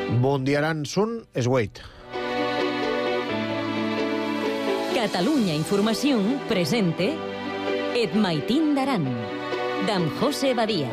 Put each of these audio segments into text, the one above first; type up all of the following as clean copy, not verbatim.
Bondiaran sun esgueit. Catalunya Información presente Et Maitín d'Aran, d'en José Badia.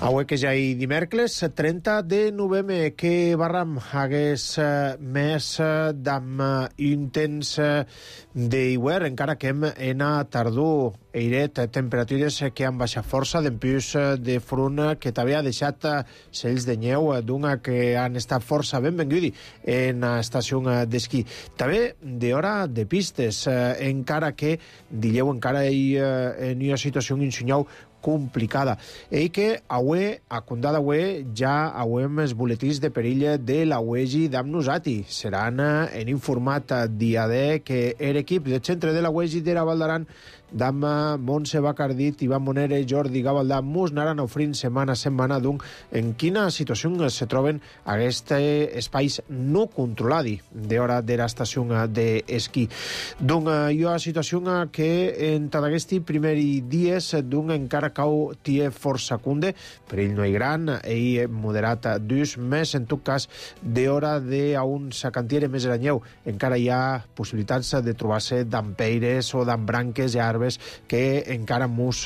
Avui que ja hi dimecres, 30 de novembre, que barram hagués més d'am intens d'hivern, encara que hem anat tardor, eiret, temperatures que han baixat força, d'empús de front que també ha deixat cells de neu d'una que han estat força benvengudi en estació d'esquí. També d'hora de pistes, encara que dileu encara hi en una situació insunyau complicada. I que avui, a Condà d'Aué, ja auem els boletins de perill de la UEGI d'am nosati. Seran en informat dia de que l'equip del centre de la UEGI d'Era Valdaran d'am Montse Bacardit, Ivan Monere, Jordi Gavaldà, mos anaran oferint setmana a setmana en quina situació se troben aquests espais no controlats d'hora de l'estació d'esquí. Hi ha situació que en tot aquests primers dies encara cau tie força cunde, perill no hi gran, i moderat dus, més en tot cas d'hora d'un sacantiere més granyeu. Encara hi ha possibilitats de trobar-se d'ampeires o d'embranques i arbres que encara mos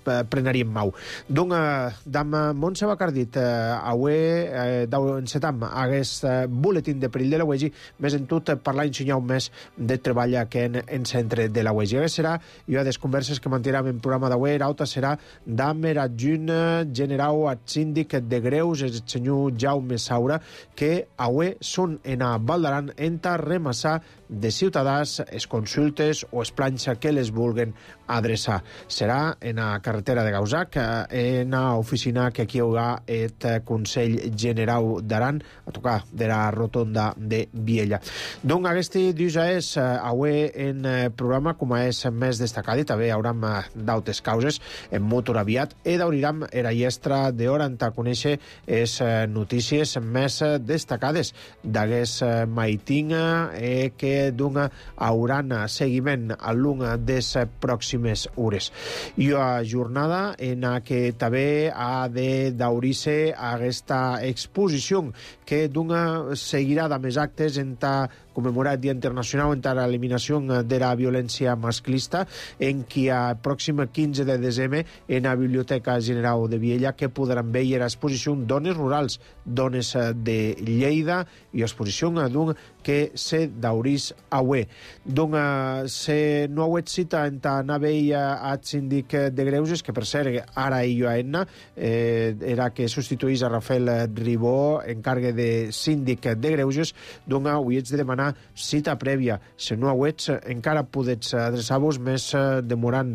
prenaríem mau. D'am Montse Bacardit, avui encetam aquest boletín de perill de la UEGI, més en tot parlar ensenyar un mes de treball que en centre de la UEGI. Aquest serà, i a les converses que mantindrem en programa d'avui, l'altra serà d'am adjunt general al síndic de Greus, el senyor Jaume Saura, que avui són en a Valdaran enta remassar de ciutadans es consultes o es planxa que les vulguen adreçar. Serà en a carretera de Gausac, en a oficina que aquí hi haurà el Consell General d'Aran, a tocar de la rotonda de Viella. Donc, aquest dia és avui en programa, com és més destacat, i també hauram d'altres causes en motor aviat, i d'obrirem era llestra d'hora en conèixer les notícies més destacades d'aquest maiting que d'una hauran seguiment a l'una de les pròximes hores. I a jornada en què també ha de daurir-se aquesta exposició que d'una seguirà de més actes en commemorar el Dia Internacional contra l'eliminació de la violència masclista, en qui a pròxim 15 de desembre en la Biblioteca General de Viella que podran veure l'exposició Dones Rurals, Dones de Lleida, i exposició d'un que se daurís avui. Se no ho cita en anar a veure al síndic de Greuges, que per cert ara hi ha Enna, era que substituís a Rafael Ribó en càrrega de síndic de Greuges, ho haig de demanar cita prèvia. Si no ho ets, encara podets adreçar-vos més demorant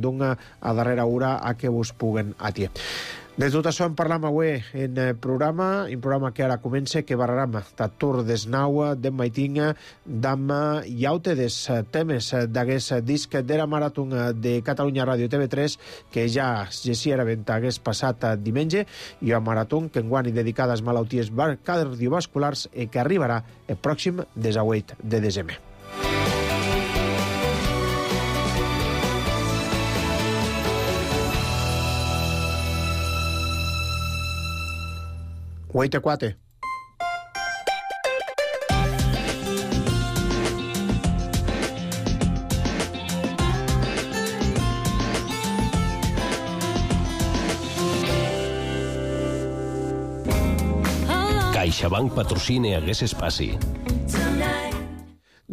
a darrera hora a que vos puguen atiar. De tot això en parlam avui en programa, un programa que ara comença, que barraram d'atur d'esnau, d'en maiting, d'am iaute des temes d'aquest disc de la Marató de Catalunya Ràdio TV3, que ja era vent hagués passat diumenge, i a Marató que enguany hi dedicada a les malalties cardiovasculars i que arribarà el pròxim 18 de desembre. Huete cuate. CaixaBank patrocina aquest espai.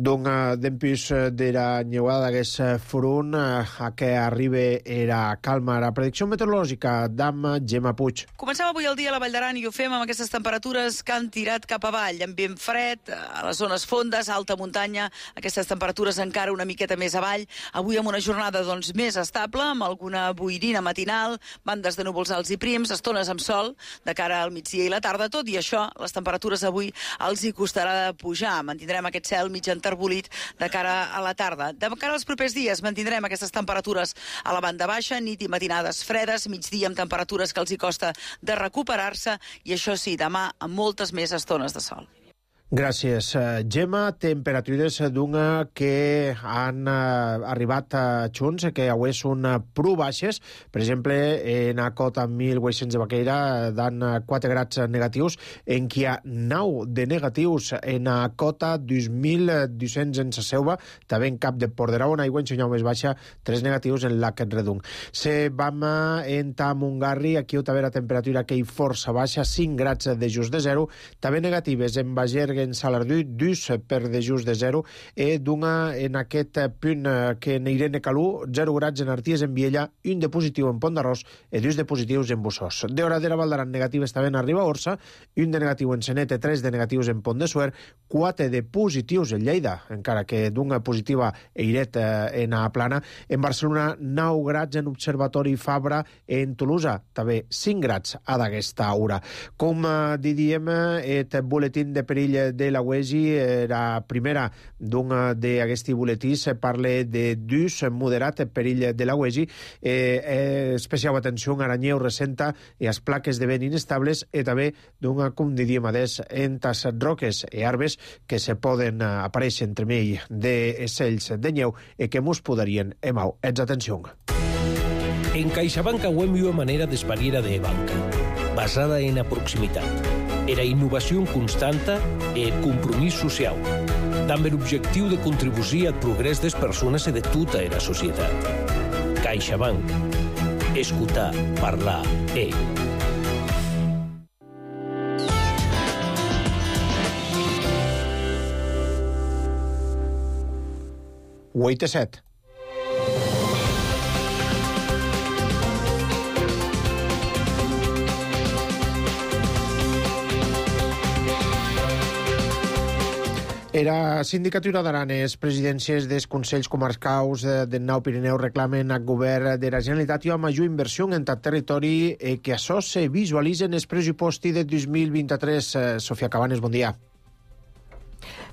D'empús de la nyeuada d'aquest front a que arriba era calma. La predicció meteorològica d'am Gemma Puig. Comencem avui el dia a la Vall d'Aran i ho fem amb aquestes temperatures que han tirat cap avall. Ambient fred, a les zones fondes, alta muntanya, aquestes temperatures encara una miqueta més avall. Avui amb una jornada més estable, amb alguna boirina matinal, bandes de núvols alts i prims, estones amb sol, de cara al migdia i la tarda. Tot i això, les temperatures avui els hi costarà de pujar. Mantindrem aquest cel mig enterbolit enterbolit de cara a la tarda. De cara als propers dies mantindrem aquestes temperatures a la banda baixa, nit i matinades fredes, migdia amb temperatures que els hi costa de recuperar-se, i això sí, demà amb moltes més estones de sol. Gràcies, Gemma. Temperatures d'una que han arribat a junts, que avui són prou baixes. Per exemple, en a cota 1.800 de Baqueira dan 4 grads negatius, en qui hi ha 9 de negatius en a cota 2.200 en sa Selva, també en cap de Porderà, on aigua en senyal més baixa, 3 negatius en l'Aquet Redung. Se vam en Tamungarri, aquí també la temperatura que hi força baixa, 5 grads de just de zero, també negatives en Bager en Salardú, 2 per de just de 0, i d'una en aquest punt que en Irene Calú, 0 grads en Arties en Viella, 1 de positiu en Pont d'Arròs i 2 de positius en Bussós. De Oradera Valdaran negatives també en Ribagorça, 1 de negatiu en Senet, 3 de negatius en Pont de Suert, 4 de positius en Lleida, encara que d'una positiva Eiret en a Plana. En Barcelona, 9 grads en Observatori Fabra, en Tolosa, també 5 grads a d'aquesta hora. Com diem, el boletín de perill de la UESI, la primera d'un d'aquest boletí se parla de d'ús moderat perill de la UESI, especial atenció a Aranyeu, Recenta i les plaques de vent inestables, i també d'un, com diríem adés, en tas roques i arbres que se poden aparèixer entre mig de cells de neu i que mos poderien emau. Ets atenció. En CaixaBank avem una manera d'esparir de banca, basada en la proximitat, era innovació constanta i compromís social, amb l'objectiu de contribuir al progrés de les persones i de tota la societat. CaixaBank. Escoltar, parlar, Huit a set. Era Sindicatura d'Aranes, presidències dels Consells Comarcals del Nou Pirineu reclamen al govern de la Generalitat una major inversió en tot territori que això se visualitza en el pressupost de 2023. Sofia Cabanes, bon dia.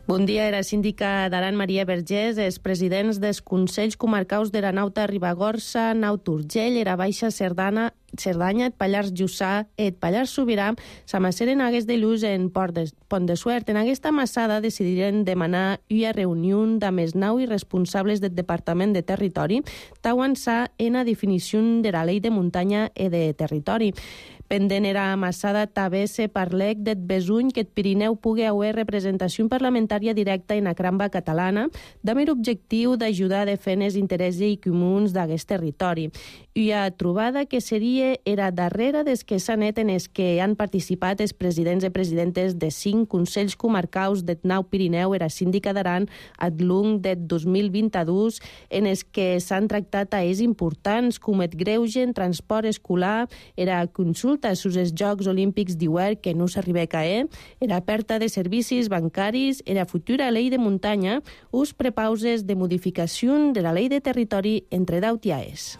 Bon dia, era síndica d'Aran Maria Vergés, els presidents dels Consells Comarcals de la Nauta Ribagorça, Naut Urgell, era Baixa Cerdanya, et Pallars Jussà, et Pallars Sobirà, s'amasseren hagués de lluç en Pont de Suert. En aquesta amassada decidiren demanar una reunió amb els 9 responsables del Departament de Territori, tauant-sa en la definició de la Llei de Muntanya i de Territori. Pendent era amassada també se parlec del besuny que el Pirineu pugui haver representació parlamentària directa en la cramba catalana, amb l'objectiu d'ajudar a defendre els interessos comuns d'aquest territori. I a trobada que seria era darrere des que s'han net en els que han participat els presidents i presidentes de 5 Consells Comarcals del Nou Pirineu, era síndica d'Aran, ad long del 2022, en els que s'han tractat ais importants com el greuge en transport escolar, era consulta sus els Jocs Olímpics d'hivern que no s'arriba a caer, era aperta de servicis bancaris, era futura llei de muntanya, us prepauses de modificació de la llei de territori entre dautiaes.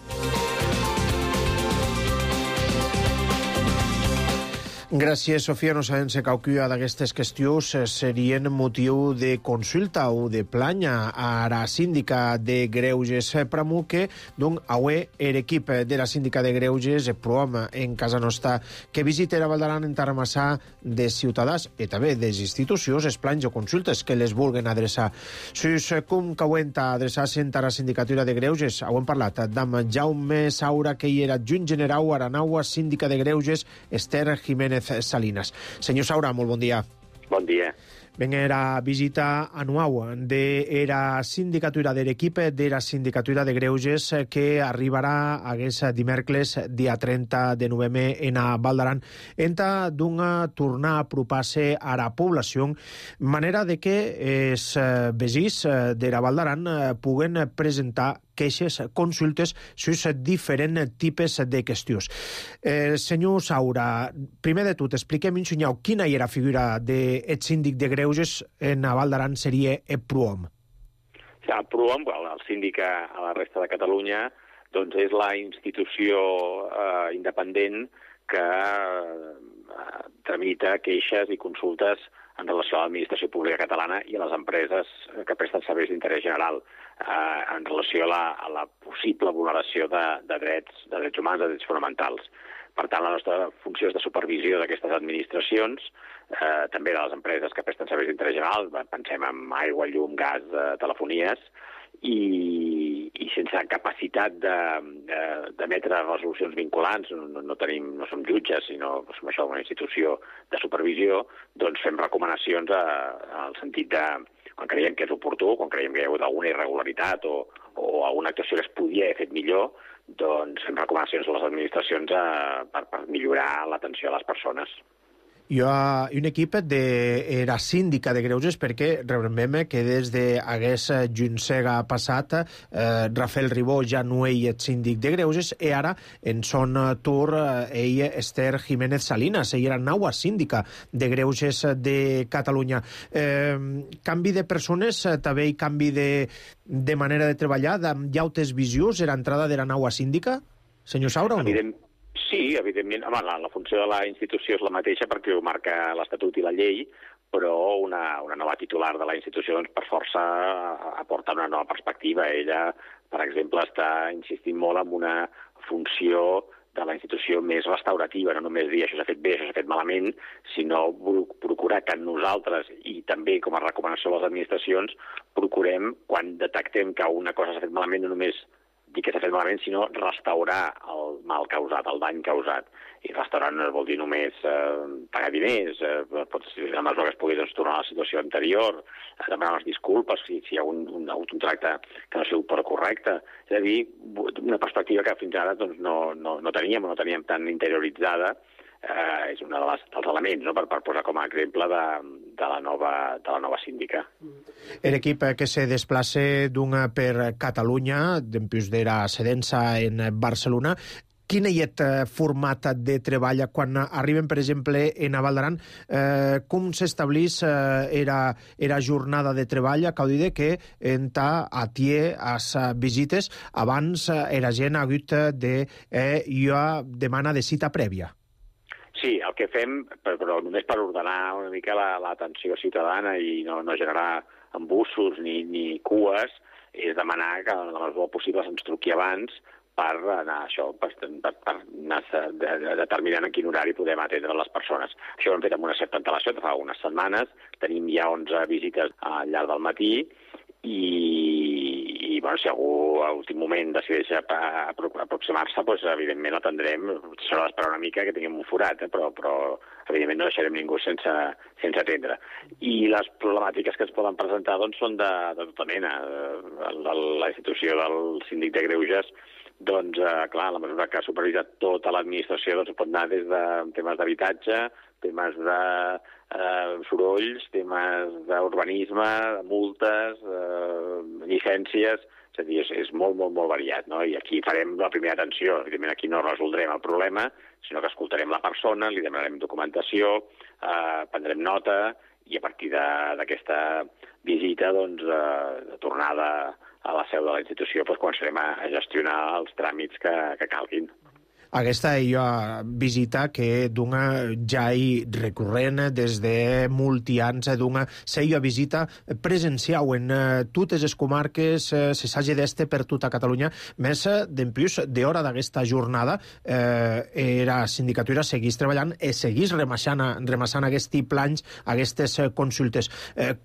Gràcies, Sofia. No sabem si qualcuna d'aquestes qüestions serien motiu de consulta o de planya a la síndica de Greuges Pramu, que doncs avui l'equip de la síndica de Greuges, el programa en casa nostra, que visita Valdaran en Tarramassà de ciutadans i també de les institucions, els plans o consultes que les vulguen adreçar. Sus com que ho hem adreçat a la sindicatura de Greuges, ho hem parlat amb Jaume Saura, que hi era adjunt general Aranaua, síndica de Greuges, Esther Jiménez Salinas. Senyor Saura, molt bon dia. Bon dia. Ben, era visita anual de la sindicatura de l'equip de la sindicatura de Greuges que arribarà aquest dimecres, dia 30 de novembre, en a Valdaran. Enta d'una tornar a apropar-se a la població, manera de que els veïns de la Valdaran puguen presentar queixes, consultes sus diferents tipus de qüestions. Senyor Saura, primer de tot, expliquem un senyal quina era la figura del síndic de Greuges en a Valdaran seria el PRUOM. El PRUOM, el síndic a la resta de Catalunya, doncs és la institució independent que tramita queixes i consultes en relació a l'administració pública catalana i a les empreses que presten serveis d'interès general, en relació a la possible vulneració de drets humans, de drets fonamentals. Per tant, la nostra funció és de supervisió d'aquestes administracions, també de les empreses que presten serveis d'interès general, pensem en aigua, llum, gas, telefonies, i sense capacitat d'emetre resolucions vinculants, no som jutges, sinó som això, una institució de supervisió, doncs fem recomanacions al sentit de, quan creiem que és oportú, quan creiem que hi ha hagut alguna irregularitat o alguna actuació que es podia haver fet millor, doncs fem recomanacions a les administracions per millorar l'atenció a les persones. Hi ha un equip era síndica de Greuges perquè recordem que des d'hagués Junsega passat Rafael Ribó ja no és síndic de Greuges i ara en son tour ell Esther Jiménez Salinas, ella era nova síndica de Greuges de Catalunya. Canvi de persones, també hi canvi de manera de treballar, d'autes visions, era entrada de la nova síndica? Senyor Saura o no? Sí, evidentment. Home, la funció de la institució és la mateixa perquè ho marca l'Estatut i la llei, però una nova titular de la institució doncs, per força aporta una nova perspectiva. Ella, per exemple, està insistint molt en una funció de la institució més restaurativa, no només dir això s'ha fet bé, això s'ha fet malament, sinó procurar que nosaltres, i també com a recomanació a les administracions, procurem, quan detectem que una cosa s'ha fet malament, no només dir que s'ha fet malament, sinó restaurar el mal causat, el dany causat. I restaurar no vol dir només pagar diners, pot ser a mesura que es pugui tornar a la situació anterior, demanar les disculpes si hi ha hagut un tracte que no ha sigut prou correcte. És a dir, una perspectiva que fins ara doncs, no teníem tan interioritzada, és un dels elements, no?, per posar com a exemple de la nova síndica. L'equip que se desplaça per Catalunya, dempús d'era sedença en Barcelona, quin és el format de treball quan arriben, per exemple, en Val d'Aran? Com s'estableix la jornada de treball? Cal dir que atier les visites abans la gent ha hagut de demana de cita prèvia. Sí, el que fem, però només per ordenar una mica l'atenció ciutadana i no generar embussos ni cues, és demanar que la mesura possible se'ns truqui abans per anar determinant en quin horari podem atendre les persones. Això ho hem fet amb una certa antelació, fa unes setmanes, tenim ja 11 visites al llarg del matí i bueno, si algú a l'últim moment decideix aproximar-se, doncs evidentment l'atendrem, s'haurà d'esperar una mica que tinguem un forat, però evidentment no deixarem ningú sense atendre. I les problemàtiques que ens poden presentar doncs, són de tota mena. La institució del síndic de Greuges, doncs, clar, la mesura que ha supervisat tota l'administració doncs, pot anar des de temes d'habitatge, temes de sorolls, temes d'urbanisme, de multes, llicències, és a dir, és molt, molt, molt variat, no? I aquí farem la primera atenció. Evidentment, aquí no resoldrem el problema, sinó que escoltarem la persona, li demanarem documentació, prendrem nota i a partir d'aquesta visita, doncs, de tornada a la seu de la institució, doncs, començarem a gestionar els tràmits que calguin. Aquesta visita que dona ja recurrent des de molts anys, dona seia visita presencial en totes les comarques, se s'hagi d'este per tota Catalunya, més d'empús d'hora d'aquesta jornada la sindicatura seguís treballant i seguís remassant aquests plans, aquestes consultes.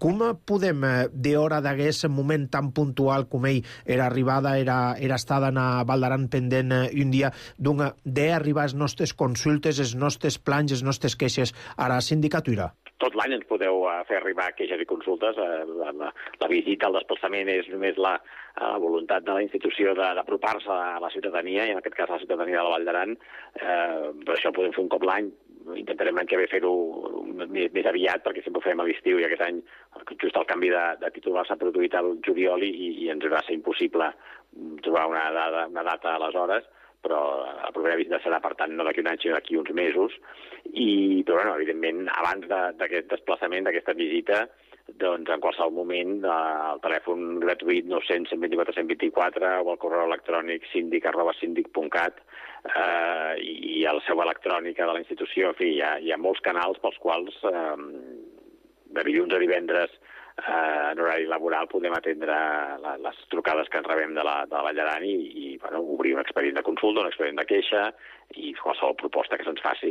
Com podem, d'hora d'aquest moment tan puntual com ell era arribada, era estada a Val d'Aran pendent un dia d'arribar a les nostres consultes, els nostres plans, les nostres queixes a la sindicatura? Tot l'any ens podeu fer arribar queixes i consultes. La visita, el desplaçament és només la voluntat de la institució d'apropar-se a la ciutadania, i en aquest cas a la ciutadania de la Vall d'Aran. Per això podem fer un cop l'any. Intentarem l'any que ve fer-ho més aviat, perquè sempre ho fem a l'estiu, i aquest any just el canvi de titular s'ha produït al juliol i ens va ser impossible trobar una data aleshores, però la propera visita serà, per tant, no d'aquí un any, sinó d'aquí uns mesos. Però, bueno, evidentment, abans d'aquest desplaçament, d'aquesta visita, doncs, en qualsevol moment, el telèfon gratuït 900 124 124 o el correu electrònic sindic@sindic.cat i el seu electrònica de la institució. En fi, hi ha molts canals pels quals de dilluns a divendres en horari laboral podem atendre les trucades que ens rebem de la Vall d'Aran i obrir un expedient de consulta, un expedient de queixa i qualsevol proposta que se'ns faci.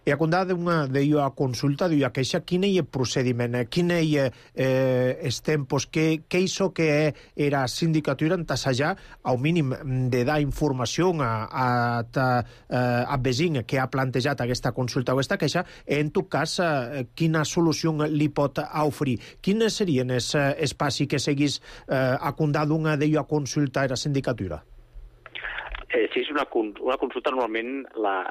E a condada d'ua consulta, d'ua queixa, quin é o procediment? Quin é els tempos? Què iso que era sindicatura entassajar ao mínim de dar informació a vecin que ha plantejat aquesta consulta o aquesta queixa, en tot cas, quina solució li pot oferir? Quins serien els passos que seguís a condada d'ua consulta a la sindicatura? Si és una consulta, normalment la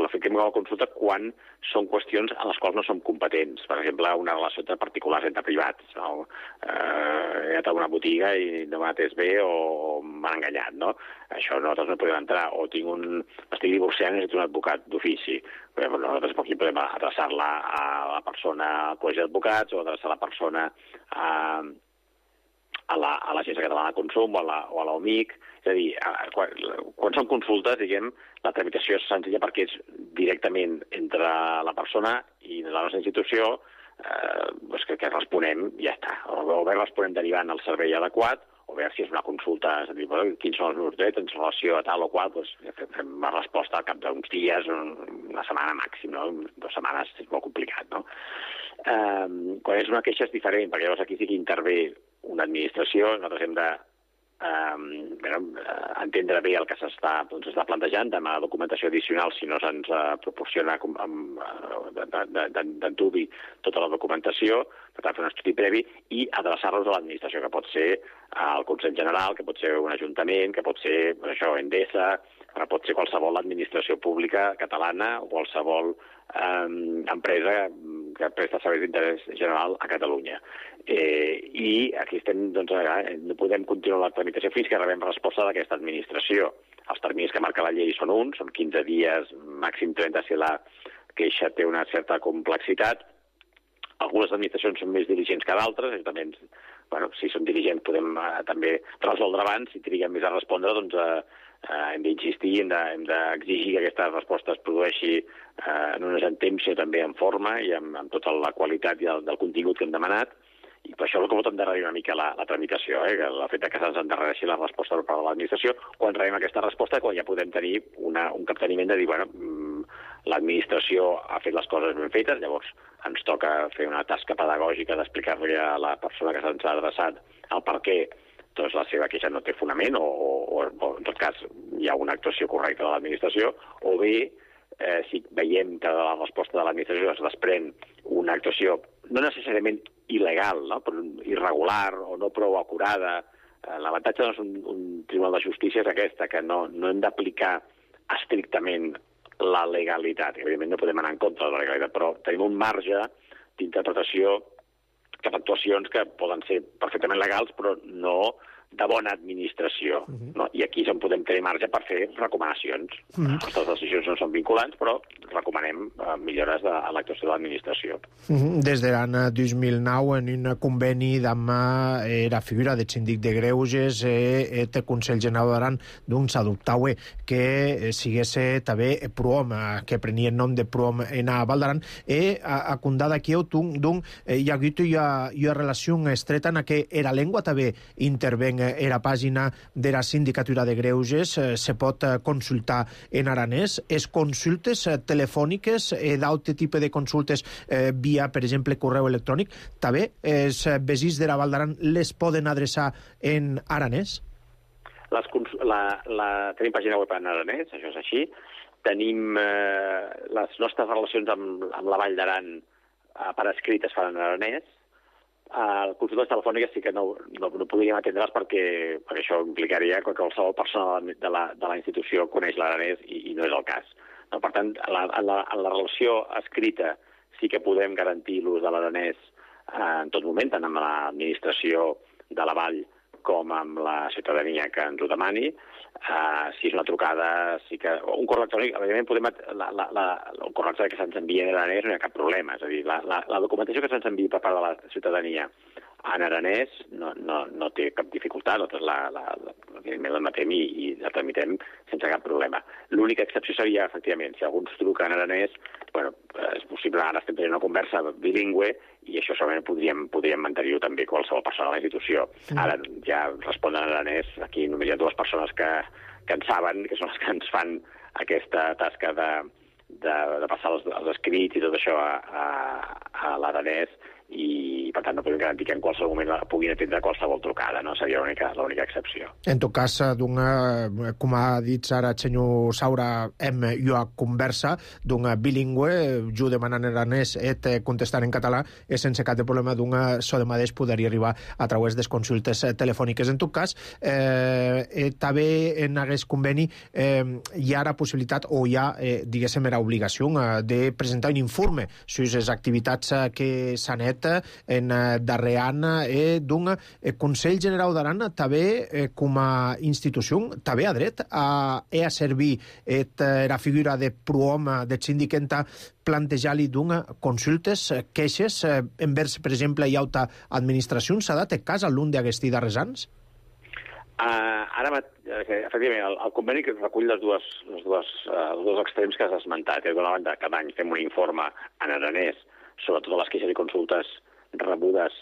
fem com a consulta quan són qüestions en les quals no som competents. Per exemple, una relació entre particulars, entre privats. No? He anat a una botiga i no m'ha atès bé o m'han enganyat. No? Això nosaltres no podem entrar. O estic divorciant i necessito un advocat d'ofici. Nosaltres aquí podem adreçar-la a la persona al col·legi d'advocats o adreçar la persona a l'Agència Catalana de Consum o a l'OMIC. És a dir, quan són consultes, diguem, la tramitació és senzilla perquè és directament entre la persona i la nostra institució que responem i ja està. O bé responem derivant al servei adequat, o bé si és una consulta, és a dir, quins són els meus drets en relació a tal o qual, fem una resposta al cap d'uns dies, una setmana màxim, no? 2 setmanes és molt complicat, no? Quan és una queixa és diferent, perquè llavors aquí sí que intervé una administració, nosaltres hem de entendre bé el que s'està plantejant, demanar documentació addicional si no se'ns proporciona d'antubi tota la documentació, per tant fer un estudi previ i adreçar-los a l'administració, que pot ser el Consell General, que pot ser un ajuntament, que pot ser Endesa, pot ser qualsevol administració pública catalana o qualsevol empresa que presta serveis d'interès general a Catalunya. I aquí estem, no podem continuar la tramitació fins que rebem resposta d'aquesta administració. Els terminis que marca la llei són uns, són 15 dies, màxim 30 si la queixa té una certa complexitat. Algunes administracions són més diligents que d'altres, ajuntaments, si són diligents podem també resoldre abans, si triguem més a respondre, hem d'insistir, hem d'exigir que aquesta resposta es produeixi no només en temps, sinó també en forma i amb tota la qualitat del contingut que hem demanat. I per això és el que pot endarrerir una mica la tramitació, que el fet que se'ns endarrereixi la resposta per part de l'administració. Quan rebem aquesta resposta, quan ja podem tenir un capteniment de dir, l'administració ha fet les coses ben fetes, llavors ens toca fer una tasca pedagògica d'explicar-li a la persona que se'ns ha adreçat el per què la seva queixa no té fonament o en tot cas hi ha una actuació correcta de l'administració, o bé si veiem que de la resposta de l'administració es desprèn una actuació no necessàriament il·legal, però irregular o no prou acurada. L'avantatge d'un tribunal de justícia és aquesta, que no hem d'aplicar estrictament la legalitat. Evidentment no podem anar en contra de la legalitat, però tenim un marge d'interpretació cap a actuacions que poden ser perfectament legals, però no de bona administració. No? I aquí és on podem tenir marge per fer recomanacions. Les nostres decisions no són vinculants, però recomanem millores a l'actuació de l'administració. Des de l'any 2009, en un conveni amb la figura del síndic de Greuges el Consell General d'Aran s'adoptava que sigués també PROOM, que prenia el nom de PROOM en a Val d'Aran, i a condada aquí hi ha hagut una relació estreta en què la llengua també intervé en la pàgina de la Sindicatura de Greuges, se pot consultar en aranès. Les consultes telefòniques i d'altre tipus de consultes via, per exemple, correu electrònic, també els vecins de la Val d'Aran les poden adreçar en aranès? Tenim pàgina web en aranès, això és així. Tenim les nostres relacions amb la Vall d'Aran per escrit es fan en aranès. Consultes telefòniques sí que no podríem atendre's perquè això implicaria que qualsevol persona de la institució coneix l'aranès i no és el cas. Per tant, en la relació escrita sí que podem garantir l'ús de l'aranès en tot moment, tant amb l'administració de la Vall com amb la ciutadania que ens ho demani. Si és una trucada, sí que... Un correu electrònic, evidentment, podem... Un correu electrònic que se'ns envia en aranès no hi ha cap problema. És a dir, la documentació que se'ns envia per part de la ciutadania en aranès no té cap dificultat, nosaltres evidentment l'admetem i la tramitem sense cap problema. L'única excepció seria, efectivament, si algú ens truca en aranès, és possible, ara estem tenint una conversa bilingüe i això solament podríem mantenir-ho també qualsevol persona a la institució. Ara ja responen en aranès, aquí només hi ha 2 persones que en saben, que són les que ens fan aquesta tasca de passar els escrits i tot això a l'aranès, i per tant no podem garantir que en qualsevol moment puguin atendre qualsevol trucada, no? Seria l'única excepció. En tot cas, com ha dit ara el senyor Saura, hem jo conversa d'un bilingüe, jo demanant en aranès et contestant en català, és sense cap de problema d'un so de mateix podria arribar a través de consultes telefòniques. En tot cas, també en aquest conveni hi ha la possibilitat, o hi ha, diguéssim, la obligació de presentar un informe sobre les activitats que s'han fet en darrer any d'un Consell General d'Aran, també com a institució, també ha dret a servir la figura de prohome de síndic plantejar-li d'un consultes, queixes envers, per exemple, hi ha altra administració, s'ha dat cas a l'un d'aquests darrers anys? Ara, efectivament, el conveni que recull els dos extrems que has esmentat. D'una banda, cada any fem un informe en aranès sobre totes les queixes i consultes rebudes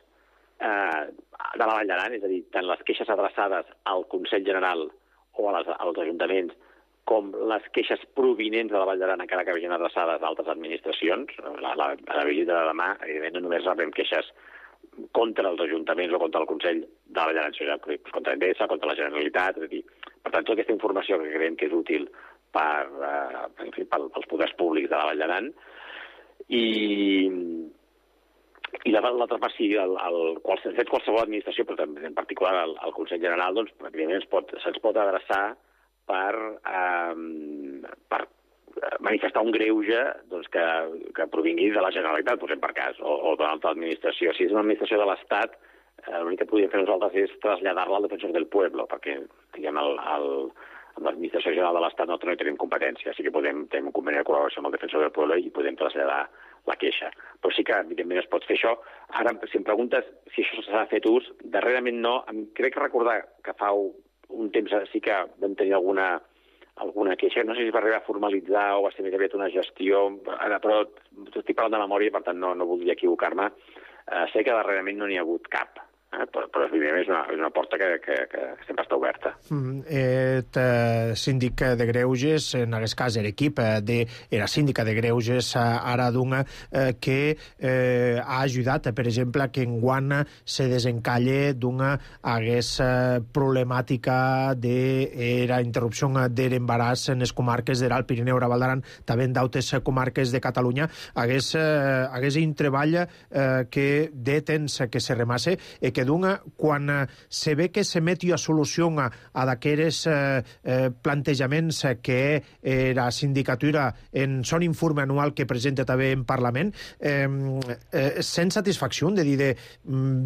de la Vall d'Aran, és a dir, tant les queixes adreçades al Consell General o als ajuntaments, com les queixes provinents de la Vall d'Aran, encara que vagin adreçades a altres administracions. A la visita de demà, evidentment, no només rebem queixes contra els ajuntaments o contra el Consell de la Vall d'Aran, contra Endesa, contra la Generalitat, és a dir, per tant, tota aquesta informació que creiem que és útil pels poders públics de la Vall d'Aran. I l'altra part, si qualsevol administració, però també en particular el Consell General, doncs, evidentment se'ns pot adreçar per manifestar un greuge que provingui de la Generalitat, posem per cas, o d'una altra administració. Si és una administració de l'Estat, l'únic que podríem fer nosaltres és traslladar-la al defensor del pueblo, perquè, diguem, amb l'administració general de l'Estat nosaltres no hi tenim competència, així que tenim un conveni de col·laboració amb el defensor del pueblo i podem traslladar la queixa. Però sí que, evidentment, es pot fer això. Ara, si em preguntes si això s'ha fet ús, darrerament no. Crec que recordar que fa un temps sí que vam tenir alguna queixa. No sé si es va arribar a formalitzar o va ser més aviat una gestió, però estic parlant de memòria, per tant no voldria equivocar-me. Sé que darrerament no n'hi ha hagut cap. Però evidentment és una porta que sempre està oberta. Síndic de Greuges, en aquest cas l'equip de la síndica de Greuges ara d'una que ha ajudat, per exemple, que enguany se desencalle d'una problemàtica de la interrupció de l'embaràs en les comarques de l'Alt Pirineu, la Val d'Aran, també en d'altres comarques de Catalunya, hagués un treball que de temps que se remasse i que quan se ve que se meti a solució a d'aquests plantejaments que la sindicatura en son informe anual que presenta també en Parlament, sent satisfacció de dir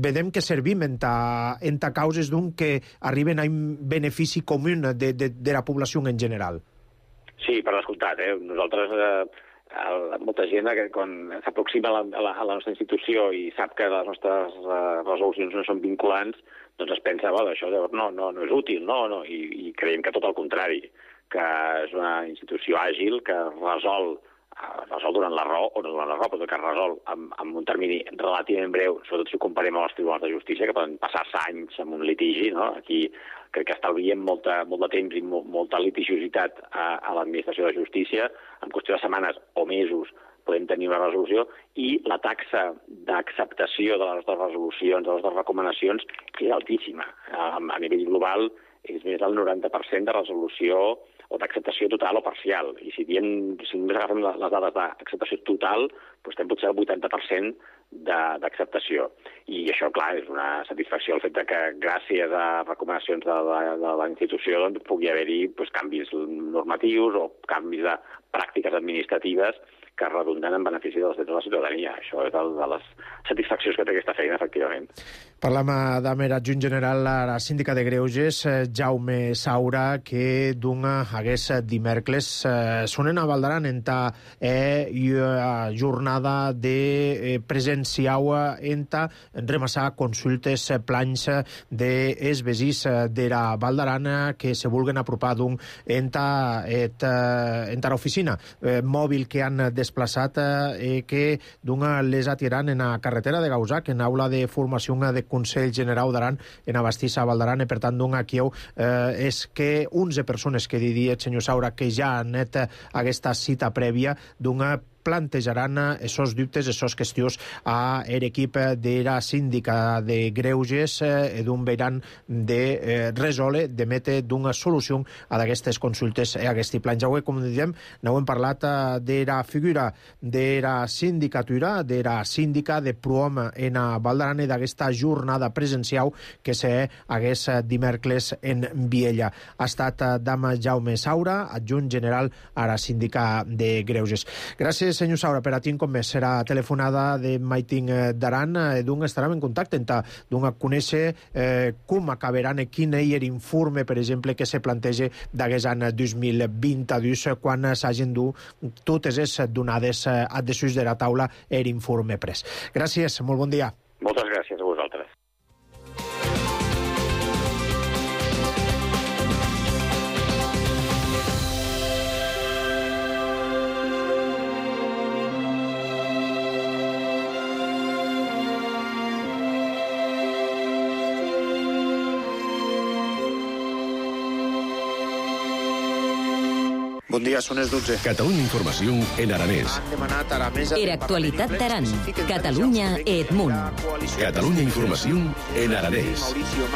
vedem que servim en causes d'un que arriben a un benefici comú de la població en general. Sí, per l'escoltat. Nosaltres... molta gent que quan s'aproxima a la nostra institució i sap que les nostres resolucions no són vinculants, doncs es pensa, això no és útil, no? I creiem que tot el contrari, que és una institució àgil que resol durant la raó, o no durant la raó, però que resol en un termini relativament breu, sobretot si ho comparem amb els tribunals de justícia, que poden passar-se anys en un litigi, no? Aquí crec que estalviem molt de temps i molta litigiositat a l'administració de justícia. En qüestió de setmanes o mesos podem tenir una resolució i la taxa d'acceptació de les nostres resolucions, de les nostres recomanacions, és altíssima. A nivell global és més del 90% de resolució o d'acceptació total o parcial. I si només agafem les dades d'acceptació total, doncs estem potser al 80% d'acceptació. I això, clar, és una satisfacció el fet que gràcies a recomanacions de la institució pugui haver-hi canvis normatius o canvis de pràctiques administratives que redunden en benefici dels drets de la ciutadania. Això és de les satisfaccions que té aquesta feina, efectivament. Parlam amb l'adjunt general a la síndica de Greuges, Jaume Saura, que dunga hagués dimèrcles sonen a Valdaran enta jornada de presenciau enta remassar consultes planys des vesís d'era Valdaran que se vulguen apropar d'un enta l'oficina mòbil que han desplaçat que dunga les atiran en la carretera de Gausac, en aula de formació de Consell Generau d'Aran en Abastissa, Valdaran, i per tant d'un aquí és que 11 persones que diria el senyor Saura que ja han net aquesta cita prèvia d'una plantejaran esos dubtes, esos qüestions a l'equip de la síndica de Greuges d'un veiran de resoldre, de metre d'una solució a aquestes consultes a aquest plan. Ja com diem, n'ho hem parlat de la figura de la sindicatura, de la síndica de Prohom en Valdaran i d'aquesta jornada presencial que se hagués dimèrcles en Viella. Ha estat dama Jaume Saura, adjunt general a la síndica de Greuges. Gràcies, senyor Saura, per a ti com més serà telefonada de Maitin d'Aran, d'un estarem en contacte d'un a conèixer com acabaran quin és l'informe, per exemple, que se planteja d'aquest any 2022 quan s'hagin dut totes les donades a desús de la taula l'informe pres. Gràcies, molt bon dia. Moltes gràcies a vosaltres. Bon dia, són les 12. Catalunya Informació en aranès. Han demanat a la mesa... Era actualitat d'Aran, Catalunya e Edmunt. Catalunya Informació en aranès.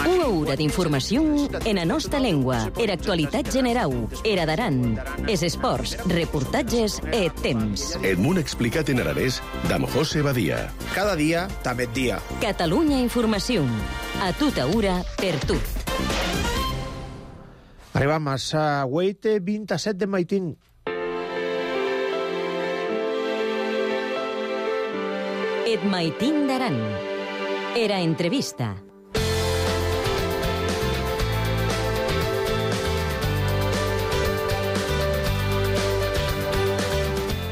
Una hora d'informació en la nostra llengua. Era actualitat generau, era d'Aran. Es esports, reportatges e temps. Edmunt explicat en aranès d'amb José Badia. Cada dia, també dia. Catalunya Informació. A tota hora, per tot. Arribam a la 27 de Maitin. Et Maitin d'Aran. Era entrevista.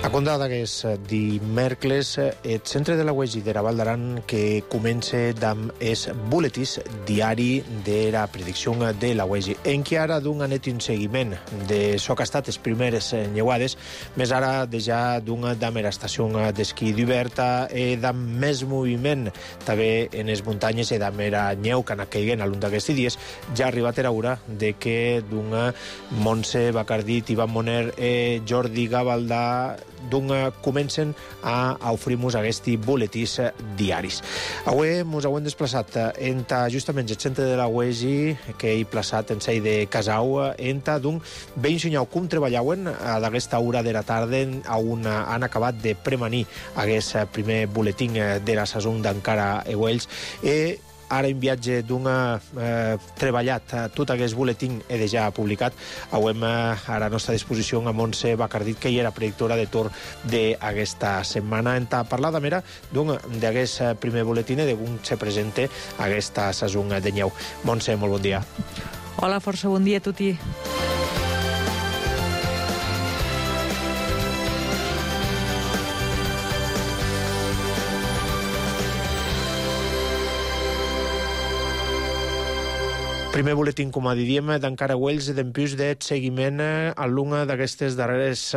A compte d'aquest dimèrcles, el centre de la UEGI de la Val d'Aran que comença amb el boletís diari de la predicció de la UEGI. En què ara d'un anet un seguiment de so que ha estat les primeres nyeuades, més ara de ja d'una damera estació d'esquí d'Iberta i d'amb més moviment també en les muntanyes i damera nyeu que han caiguen a l'un d'aquests dies, ja ha arribat a hora de que d'una Montse Bacardit, Ivan Moner i Jordi Gavaldà comencen a oferir-nos aquests boletís diaris. Avui ens hem desplaçat justament el centre de la UEGI, que he plaçat en sei de Casau, d'un ben ensenyau com treballaven d'aquesta hora de la tarda on han acabat de premanir aquest primer boletín de la saison d'encara euells i ara en viatge d'una treballat tot aquest boletín he ja publicat. Avui a la nostra disposició a Montse Bacardit, que hi era predictora de torn d'aquesta setmana, en parlar d'aquest primer boletín i d'on se presenta aquesta saison de nyeu. Montse, molt bon dia. Hola, força bon dia a tutti. Primer boletín, com diríem, d'encara Wells, d'empús de seguiment a l'una d'aquestes darreres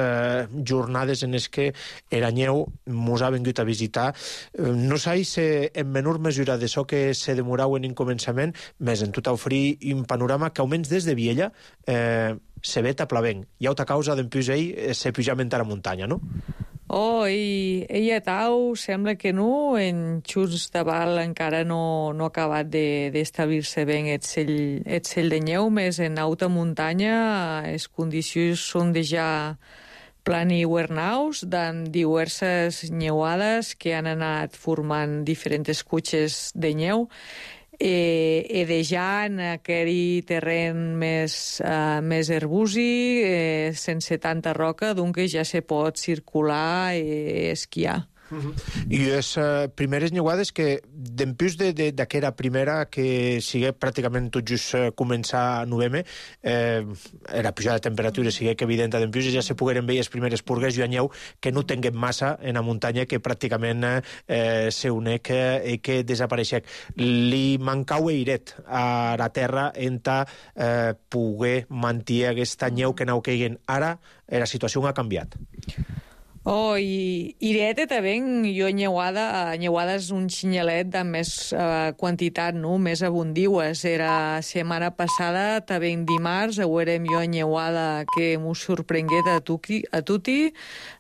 jornades en les que Eranyeu mos ha vingut a visitar. No sé si en menor mesura de so que se demoraven en començament, més en tot oferir un panorama que almenys des de Viella se ve taplavent. Hi ha altra causa d'empús ell se pujament a la muntanya, no? Ella tau, sembla que no, en Xus de Val encara no ha acabat d'establir-se ben et cell de nyeu, més en alta muntanya les condicions són de ja plan i huernaus, amb diverses nyeuades que han anat formant diferents cutxes de nyeu. deixant aquell terreny més herbusi, sense tanta roca, doncs ja se pot circular i esquiar. I les primeres niuades que, dempús d'aquera primera que sigue pràcticament tot just començar a novembre, era pujada de temperatura, sigue que evident, dempús ja se pogueren veure les primeres purgues i anyeu que no tinguem massa en la muntanya, que pràcticament se unec i que desapareixec. Li mancau eiret a la terra en poder mantenir aquesta nyeu que anau caiguen. Ara la situació ha canviat. I irete també, jo nyeuades un xinyalet de més quantitat, no? Més abundiues. Era setmana passada, també dimarts, érem jo nyeuada que m'ho sorprenguet a tutti,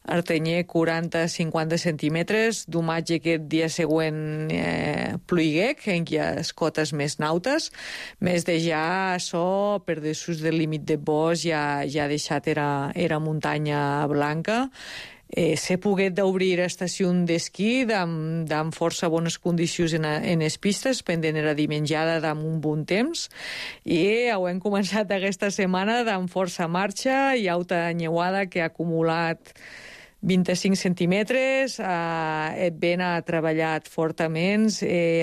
artenyer 40-50 centímetres, domatge aquest dia següent pluiguec, en què hi ha cotes més nautes, més de ja això, per desús del límit de bosc, ja ha deixat era muntanya blanca. S'he pogut d'obrir estació d'esquí amb força bones condicions en les pistes, pendent era dimenjada amb un bon temps, i hem començat aquesta setmana amb força marxa i alta nyeuada que ha acumulat 25 centímetres, ben ha treballat fortament,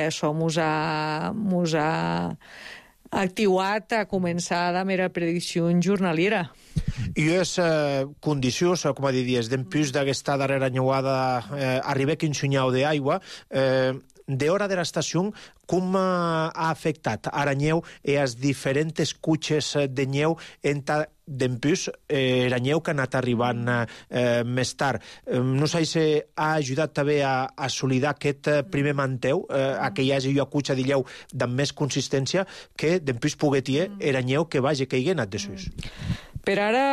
això mos ha activat a començar la meva predicció jornalera. I les condicions, com a diries, dempús d'aquesta darrera nyeuada arriba quin xunyau d'aigua, d'hora de l'estació, com ha afectat ara nyeu i les diferents cutxes de nyeu dempús la nyeu que ha anat arribant més tard. No sé si ha ajudat també a assolidar aquest primer manteu, a que hi hagi una cutxa de lleu amb més consistència que dempús poguetia era nyeu que vagi caiguent a desús. Per ara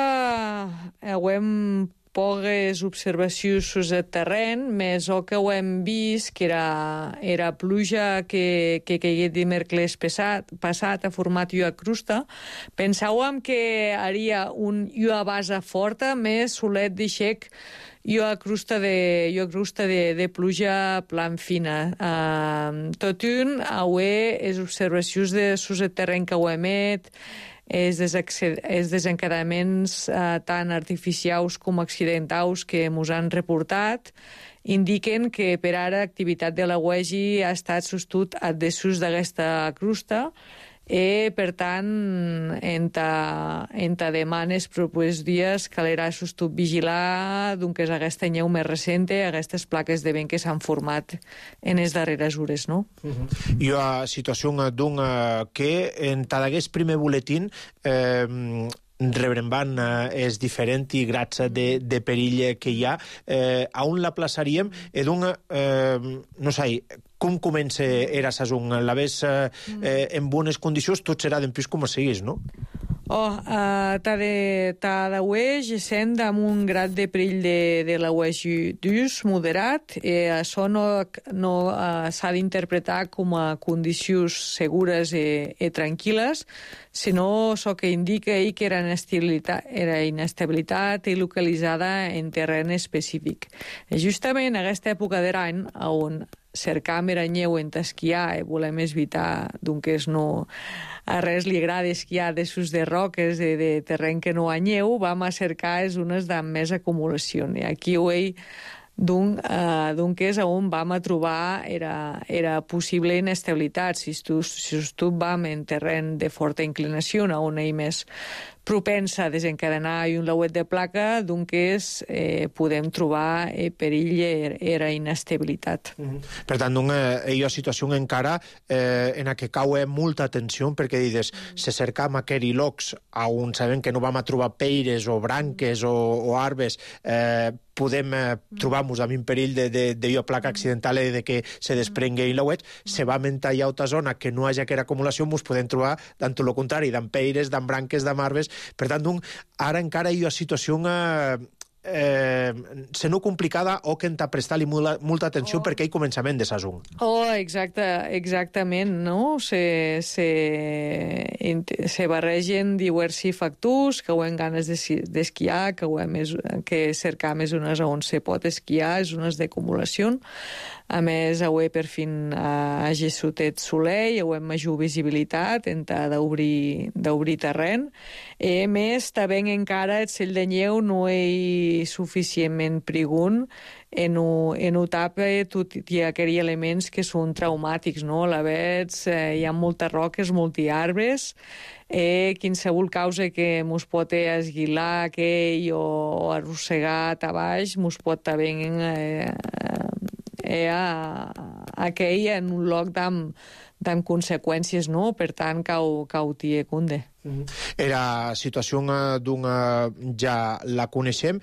hem poques observacions sobre el terreny, més el que hem vist, que era pluja que caigués dimecres passat, ha format una crusta. Pensàvem que haria una base forta, més solet d'aixec una crusta de pluja plan fina. Tot un, les observacions de sobre el terreny que ho emet, els desencadaments tant artificials com accidentals que ens han reportat indiquen que per ara l'activitat de la UEGI ha estat sostut a desús d'aquesta crusta i, per tant, en demanes propers dies calirà sostut vigilar que és aquesta nyeu més recent, aquestes plaques de vent que s'han format en les darreres hores, no? I la situació que en tot aquest primer boletín rebremban és diferent i grats de perill que hi ha, on la plaçaríem i no sé, com comença era saison? La ves en bones condicions, tot serà d'empús com siguis, no? Ta de ueix sent amb un grad de perill de la ueix d'ús moderat. Això no s'ha d'interpretar com a condicions segures i tranquil·les, sinó això que indica que era inestabilitat i localitzada en terreny específic. Justament en aquesta època de l'any, on cercam era nyeu en esquiar i volem evitar que a res li agrada esquiar de sus de roques de terreny que no ha nyeu, vam a cercar zones de més acumulació. I aquí ho he que és on vam a trobar era possible inestabilitat. Si vam en terreny de forta inclinació, on hi més propensa a desencadenar un lauet de placa, podem trobar perill era inestabilitat. Per tant, hi ha situació encara en la que cau molta atenció, perquè dius, se cercam aquells llocs on sabem que no vam a trobar peires o branques o arbres, podem trobar-nos amb un perill d'una placa accidental i de que se desprengui un lauet. Se va mentar a altra zona que no hagi aquella acumulació, ens podem trobar tant el contrari, d'en peires, d'en branques, d'en arbres. Per tant, ara encara hi ha situació se no complicada o que hem de prestar-li molta atenció perquè hi començament de sazón. Exactament, no? Se barregen diversos factors, que ho hem ganes d'esquiar, que cercar més zones on se pot esquiar, zones d'acumulació. A més, avui per fin ha gessutet solell, avui major visibilitat, d'obrir terreny. A més, també encara el cel de neu no és suficientment prigun en etapa tot hi ha aquells elements que són traumàtics, no? A la vegada hi ha moltes roques, molts arbres, qualsevol causa que mos pot esguilar o arrossegar a baix, mos pot també aquell en un lloc amb conseqüències, no? Per tant, cau tie cunde. Era situació ja la coneixem.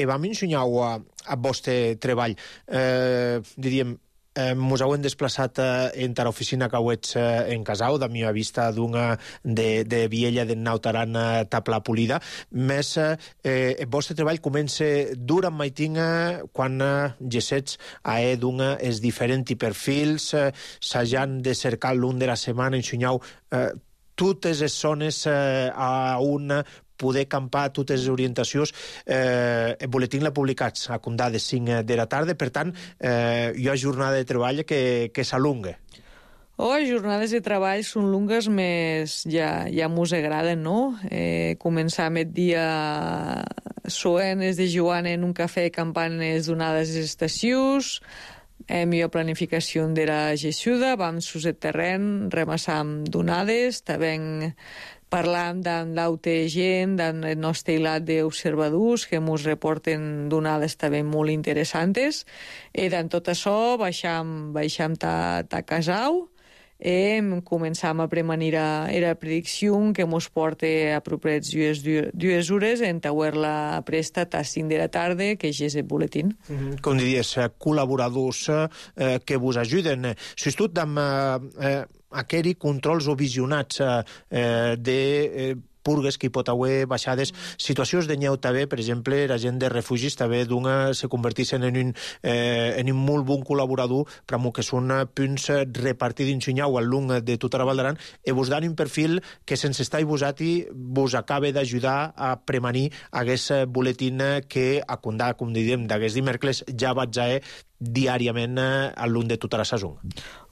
Vam ensenyar a vostre treball. Diríem, mos heu desplaçat en la oficina que heu en Casau, de meva vista de Viella de Nautaran Tapla Polida. Més, el vostre treball comença durant maiting quan gessets a els diferents perfils, s'hagin de cercar l'un de la setmana, ensenyau totes les zones a una poder campar totes les orientacions. El boletín l'ha publicat a condar de 5 de la tarda, per tant, hi ha jornada de treball que s'alunga. Jornades de treball són lungues, més ja mos agraden, no? Començar el dia soent de Joan en un cafè campant les donades les estacions, millor planificació de la gessuda, vam sus el terreny, remassam donades, també parlam amb l'altra gent, amb el nostre hilat d'observadors que ens reporten donades també molt interessants. I amb tot això baixam a Casau i començam a premanir la predicció que ens porta a propers 2 hores en tauer-la presta a 5 de la tarda, que és el boletín. Com diries, col·laboradors que vos ajuden. Sobretot amb aquells controls o visionats de purgues que hi pot haver baixades, situacions de nyeu també, per exemple, la gent de refugis també se converteixen en un molt bon col·laborador per a que són punts repartits dins nyeu al long de tota la Val d'Aran i vos dan un perfil que sense estar vos-ati vos acaba d'ajudar a premanir aquest boletín que a condar, com diem, d'aquest dimecres ja vaig a diàriament al long de tota la saison.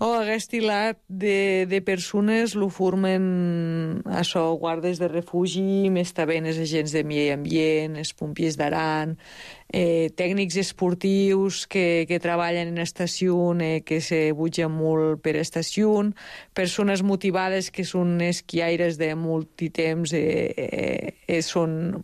Aquest hilat de persones lo formen guardes de refugi, més també els agents de medi ambient, els pompiers d'Aran, tècnics esportius que treballen en estació, que se butgen molt per estació, persones motivades que són esquiaires de molt temps són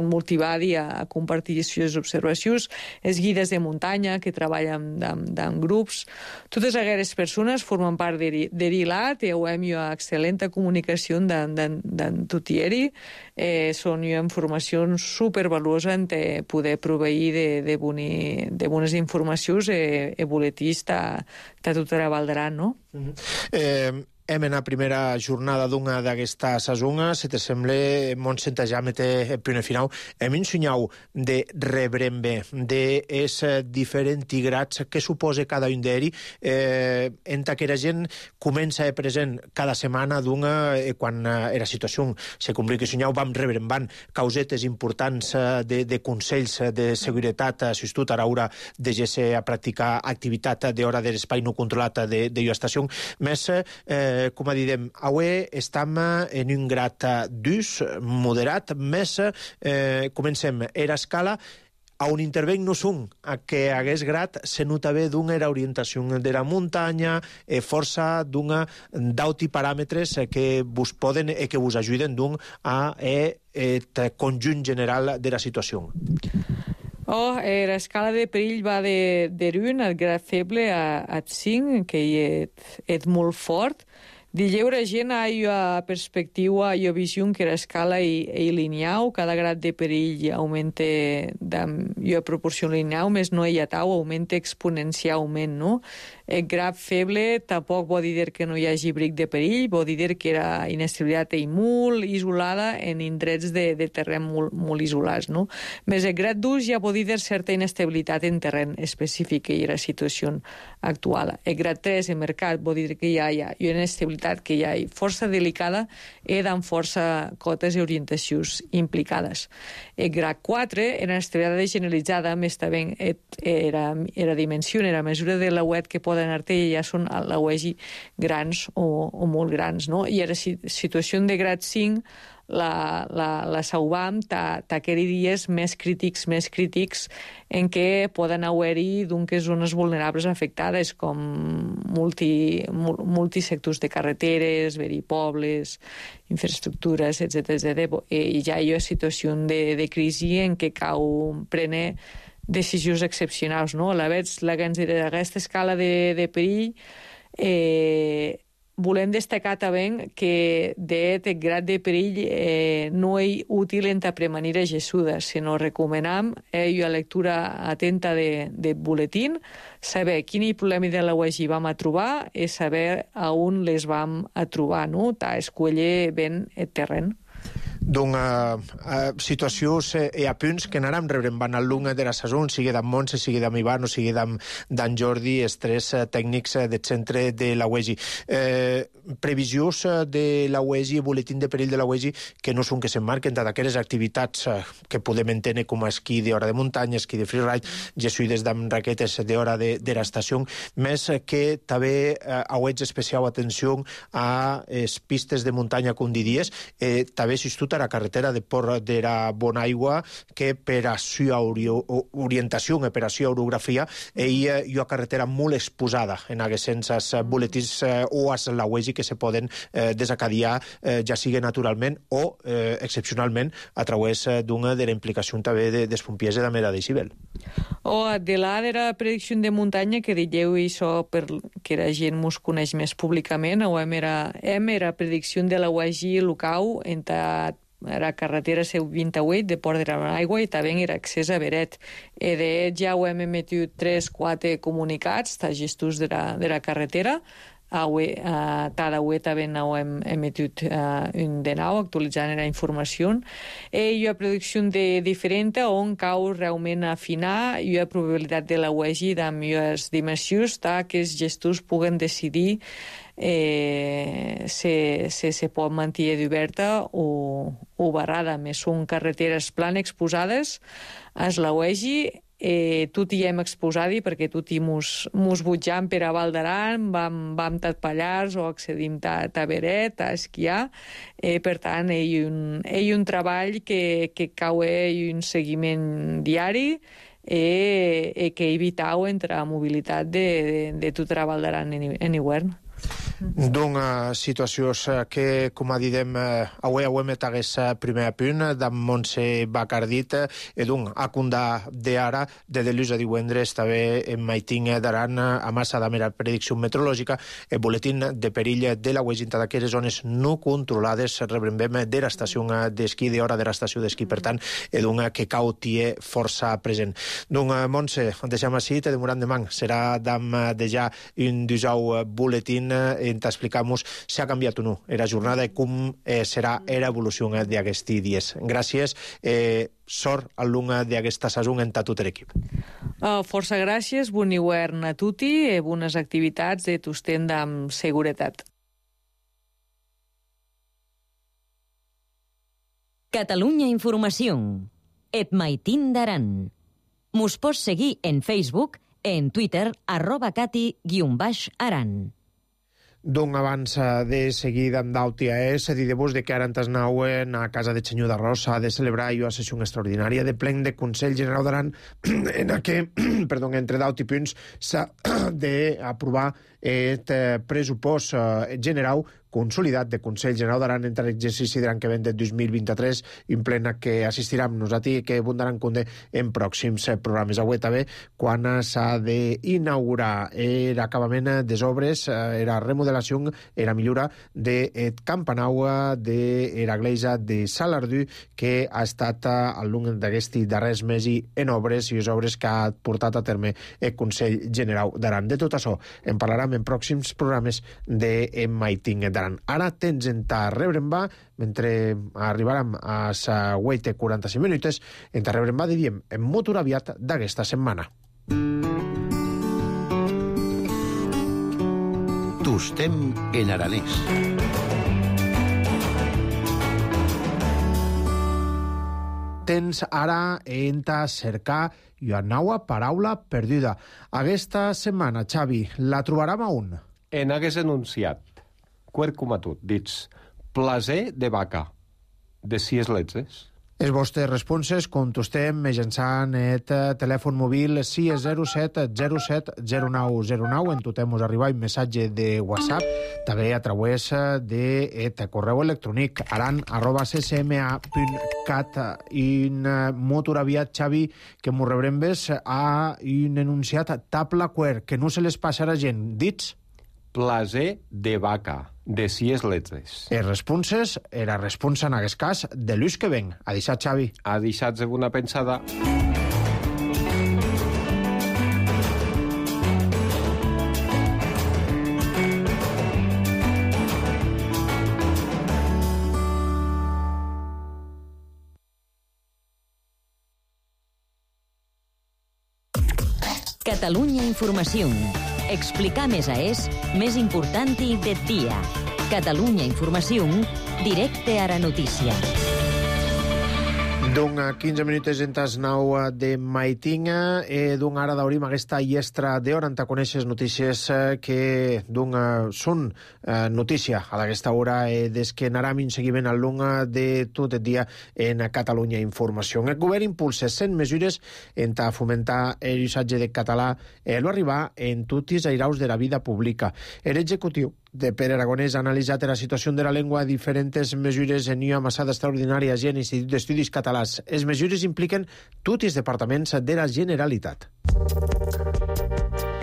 motivats a compartir les observacions, els guides de muntanya que treballen amb grups. Totes aquestes persones formen part de l'hilat i hem excel·lent comunicació d'en totieri. Són informacions supervaluoses en poder proveir de bones informacions i boletins de tota la Val d'Aran, no? Hem en la primera jornada d'una d'aquesta saison, si te sembla, Montse, ja mete el primer final. Hem ensenyat de rebrembe, dels diferents grats que suposa cada un d'ells, en que la gent comença a present cada setmana d'una, quan la situació se complica, vam rebrembant causetes importants de consells de seguretat, assistit a l'hora de gesse a practicar activitat d'hora de l'espai no controlat de l'estació. Més, com a diem, avui estem en un grat d'ús moderat, més comencem era escala on intervenc no són que hagués grat se nota bé d'una orientació de la muntanya, força d'una d'auti paràmetres que vos poden i que vos ajuden a el conjunt general de la situació. L'escala de perill va de 1 al grat feble a 5, que és molt fort. De lleure gent hi ha perspectiva, hi ha visió que l'escala és lineal, cada grad de perill augmenta hi ha proporció lineal, més no hi ha tau, augmenta exponencialment, no? El grau feble tampoc vol dir que no hi hagi bric de perill, vol dir que era inestabilitat i molt isolada en indrets de terreny molt isolats, no? Més el grau 2 ja vol dir certa inestabilitat en terreny específic que hi era la situació actual. El grau 3, el mercat, vol dir que hi ha una inestabilitat que hi ha força delicada i amb força cotes i orientacions implicades. El grau 4 era inestabilitat generalitzada, més també era dimensió, era mesura de la web que poden anar-te ja són la web grans o molt grans, no? I era situació de grau 5 la saubam d'aquests dies més crítics en què poden haver-hi zones vulnerables afectades com multisectors de carreteres, pobles, infraestructures, etc. I ja hi ha situació de crisi en què cal prendre decisions excepcionals, no? La d'aquesta escala de perill volem destacar també que el grau de perill no és útil en prevenir a gessuda, sinó recomanam una lectura atenta de boletín, saber quin problema de la UEG vam a trobar i saber on les vam a trobar, no? Escollir ben el terreny. Situacions i apunts que anàrem rebrem van al long de la saison, sigui d'en Montse, sigui d'en Ivan o sigui d'en Jordi, els tres tècnics del centre de la UEG. Previsions de la UEG, boletín de perill de la UEG, que no són que s'emmarquen d'aquelles activitats que podem entendre com esquí d'hora de muntanya, esquí de freeride, gessuïdes amb raquetes d'hora de l'estació, més que també hauets especial atenció a les pistes de muntanya, com diries, també s'instituta la carretera de Port de la Bonaigua, que per a seva orientació i per a seva orografia hi ha una carretera molt exposada en aquests boletins o a la UEG que se poden desacadir ja sigui naturalment o excepcionalment a través d'una de la implicació també dels pompiers de la mera decibel. O de la predicció de muntanya que dieu això perquè la gent mos coneix més públicament, o era predicció de la UEG local entre la carretera C28 de Port de la Bonaigua i també era accés a Beret. I de ja ho hem emetit 3-4 comunicats de gestors de la carretera. Cada web també no hem emetit un de nou, actualitzant la informació. Hi ha producció diferent on cal realment afinar, hi ha probabilitat de la UEG amb les dimensions que els gestors puguen decidir se pot mantenir oberta o barrada. Més són carreteres planes exposades a la UEG. Tot hi hem exposat perquè tot hi mos butjam per a Val d'Aran, vam a Pallars o accedim a Beret, a esquiar. Per tant, hi ha un treball que cau un seguiment diari que evitau entre la mobilitat de tota la Val d'Aran en hivern. Doncs situacions que, com diem, avui hem aquest primer punt d'en Montse Bacardit i doncs a condar d'ara de dilluns a divendres també en maiting d'Aran a massa de mera predicció meteorològica el boletín de perill de la UEG d'aquestes zones no controlades rebrem de l'estació d'esquí d'hora de l'estació d'esquí, per tant doncs que cau tie força present. Doncs Montse, deixem així, te demorant demà serà de ja un dijous boletín en t'explicamos si ha canviat o no la jornada i com serà l'evolució d'aquests dies. Gràcies. Sort al long d'aquesta saison en tot l'equip. Força gràcies, bon hivern a tutti i bones activitats de tostent amb seguretat. Catalunya Informació. Et maitín d'Aran. Mos pots seguir en Facebook, en Twitter, @cati_aran. Doncs abans de seguir amb d'AUTIAS, dir-vos que ara ens anauen a casa de Xenyo de Rosa de celebrar una sessió extraordinària de plen de Consell General d'Aran en què, entre d'AUTI punts, s'ha d'aprovar el pressupost general consolidat de Consell General d'Aran entre l'exercici de l'any que ve de 2023, en plena que assistirem nosaltres i que bundaran conde en pròxims programes. Avui també, quan s'ha d'inaugurar l'acabament des obres, la remodelació, la millora de campanau de la iglesia de Salardú, que ha estat al llarg d'aquests darrers mesos en obres i les obres que ha portat a terme el Consell General d'Aran. De tot això en parlarem en pròxims programes de Maiting d'Aran. Ara tens en ta rebre'n va, mentre arribarem a la 8:45 minuts, en ta rebre'n va, diríem, en motor aviat d'aquesta setmana. Tostem en aranès. Tens ara en ta cercar una nova paraula perduda. Aquesta setmana, Xavi, la trobarem a on? En hagués enunciat, quercumatut, dits, plaser de vaca, de sis letzes. Les vostres responses contestem mitjançant el telèfon mòbil 607 07 0909. En totem us arriba un missatge de WhatsApp, també a través de correu electrònic aran@ccma.cat. Un motor aviat, Xavi, que m'ho rebrem ves a un enunciat tabla quer, que no se les passarà gent. Dits? Plaser de vaca, de sis letzes. Les responses, la responsa en aquest cas de l'ús que ven. Ha deixat, Xavi. Ha deixat una pensada. Catalunya Informació. Explicar més més important i de dia. Catalunya Informació, directe a la notícia. D'un 15 minuts en tas 9 de Maitinga, d'un ara d'obrim aquesta llestra d'hora en ta coneixes notícies que són notícia a aquesta hora des que anarem en seguiment al llarg de tot el dia en Catalunya Informació. El govern impulsa 100 mesures en ta fomentar l'usatge de català lo arribar en tots els airaus de la vida pública. L'executiu de Pere Aragonès ha analitzat la situació de la llengua a diferents mesures en una amassada extraordinària i en l'Institut d'Estudis Catalans. Les mesures impliquen tots els departaments de la Generalitat.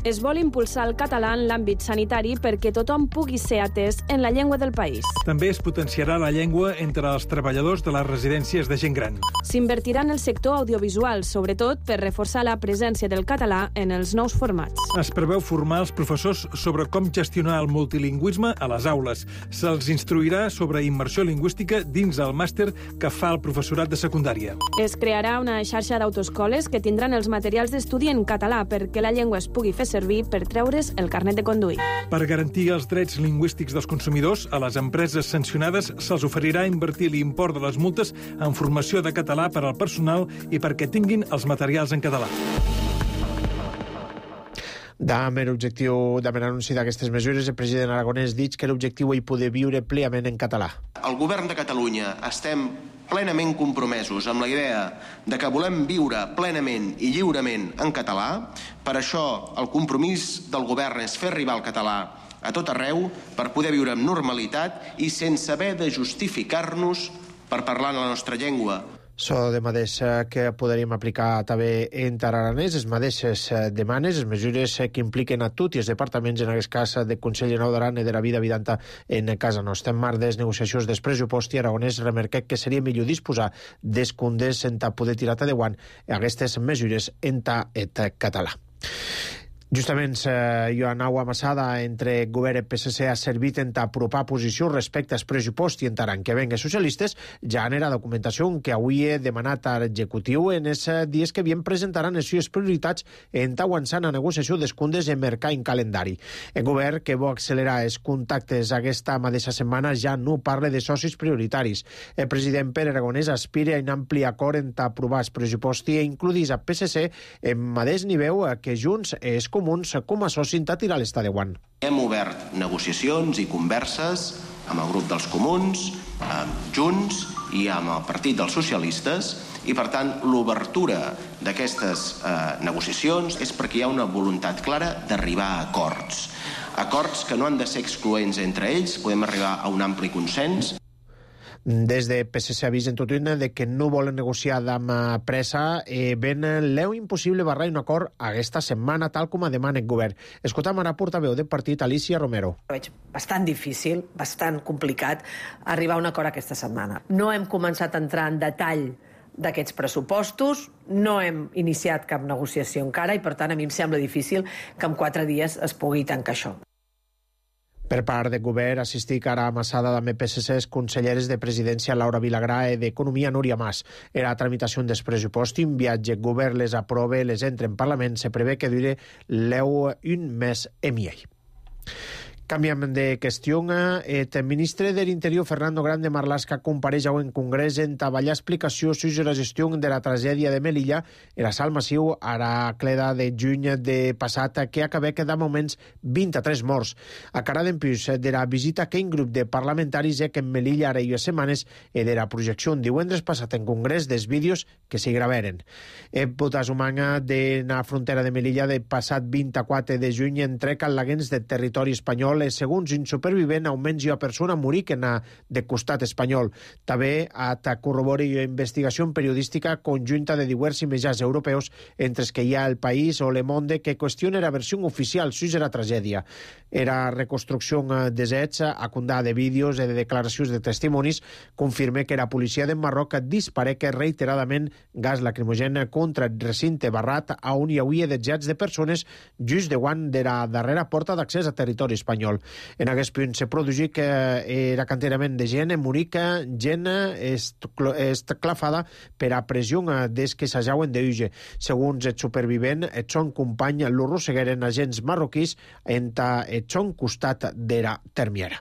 Es vol impulsar el català en l'àmbit sanitari perquè tothom pugui ser atès en la llengua del país. També es potenciarà la llengua entre els treballadors de les residències de gent gran. S'invertirà en el sector audiovisual, sobretot per reforçar la presència del català en els nous formats. Es preveu formar els professors sobre com gestionar el multilingüisme a les aules. Se'ls instruirà sobre immersió lingüística dins el màster que fa el professorat de secundària. Es crearà una xarxa d'autoescoles que tindran els materials d'estudi en català perquè la llengua es pugui fer servir per treure's el carnet de conduir. Per garantir els drets lingüístics dels consumidors, a les empreses sancionades se'ls oferirà invertir l'import de les multes en formació de català per al personal i perquè tinguin els materials en català. Amb l'objectiu de l'anunci d'aquestes mesures, el president Aragonès dit que l'objectiu és poder viure plenament en català. El govern de Catalunya estem plenament compromesos amb la idea de que volem viure plenament i lliurement en català. Per això, el compromís del govern és fer arribar el català a tot arreu per poder viure amb normalitat i sense haver de justificar-nos per parlar en la nostra llengua. So de mateix que podríem aplicar també en tararanès, les mateixes demanes, les mesures que impliquen a tots els departaments, en aquest cas de Consell General d'Aran i de la vida vidanta en casa nostra. En marc de les negociacions del pressupost, i Aragonès remarca que seria millor disposar d'escundes en ta poder tirar endavant aquestes mesures en ta et català. Justament, hi ha nau amassada entre govern i PSC ha servit en apropar posició respecte al pressupost i entaran que venga socialistes, ja en la documentació que avui he demanat a l'executiu en els dies que bien presentaran les seves prioritats en avançant a negociació d'escundes en mercat en calendari. El govern, que vol accelerar els contactes aquesta mateixa setmana, ja no parla de socis prioritaris. El president Pere Aragonès aspira a un ampli acord en aprovar el pressupost i includís a PSC en mateix nivell que Junts és comuns com a soci a tirar l'estat de guant. Hem obert negociacions i converses amb el grup dels comuns, amb Junts i amb el Partit dels Socialistes i, per tant, l'obertura d'aquestes negociacions és perquè hi ha una voluntat clara d'arribar a acords. acords que no han de ser excloents entre ells, podem arribar a un ampli consens. Des de PSC avisen tot de que no volen negociar amb pressa, ben l'eu impossible barrar un acord aquesta setmana, tal com demana el govern. Escoltam ara portaveu del partit, Alicia Romero. Ho veig bastant difícil, bastant complicat, arribar a un acord aquesta setmana. No hem començat a entrar en detall d'aquests pressupostos, no hem iniciat cap negociació encara i, per tant, a mi em sembla difícil que en 4 dies es pugui tancar això. Per part del govern, assistic ara a Massada també PSC, conselleres de Presidència Laura Vilagrà i d'Economia Núria Mas. Era tramitació dels pressupostos, un viatge, govern les aprova, les entra en Parlament, se prevé que dure un mes i mig. Canviem de qüestió. El ministre de l'Interior, Fernando Grande Marlaska, compareix avui en Congrés en treballar explicació sobre la gestió de la tragèdia de Melilla, el assalt massiu a la cleda de juny de passat, que acaba de moments 23 morts. A cara d'empús de la visita que un grup de parlamentaris que en Melilla ara i setmanes i de la projecció un divendres passat en Congrés dels vídeos que s'hi graveren. El potas humana de la frontera de Melilla de passat 24 de juny entre calaguens del territori espanyol, segons un supervivent, almenys una persona morí que n'ha de costat espanyol. També corrobora una investigació periodística conjunta de diversos mitjans europeus, entre els que hi ha El País o Le Monde, que qüestiona la versió oficial sobre la tragèdia. Era reconstrucció dels fets, acundada de vídeos i de declaracions de testimonis, confirma que la policia de Marroc disparé reiteradament gas lacrimogen contra el recinte barrat on hi havia desjats de persones just davant de la darrera porta d'accés a territori espanyol. En aquest punt se produí que era canterament de gent morica, gent esclafada per a pressió des que s'ajauen d'uge. Segons el supervivent, el son company l'arrossegueren agents marroquís en el son costat de la termiera.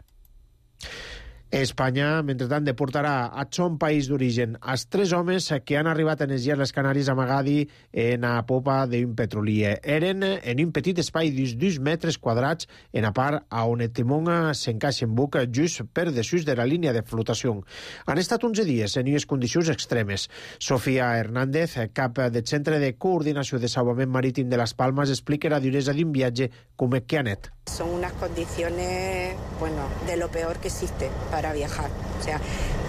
Espanya, mentrestant, deportarà a son país d'origen els 3 homes que han arribat en les Illes Canàries amagadi en la popa d'un petrolier. Eren en un petit espai d'uns 2 metres quadrats en la part on el timó s'encaixa en buc just per desús de la línia de flotació. Han estat 11 dies en unes condicions extremes. Sofía Hernández, cap del Centre de Coordinació de Salvament Marítim de Las Palmas, explica la duresa d'un viatge com el que ha anat. Son unas condiciones, de lo peor que existe para viajar. O sea,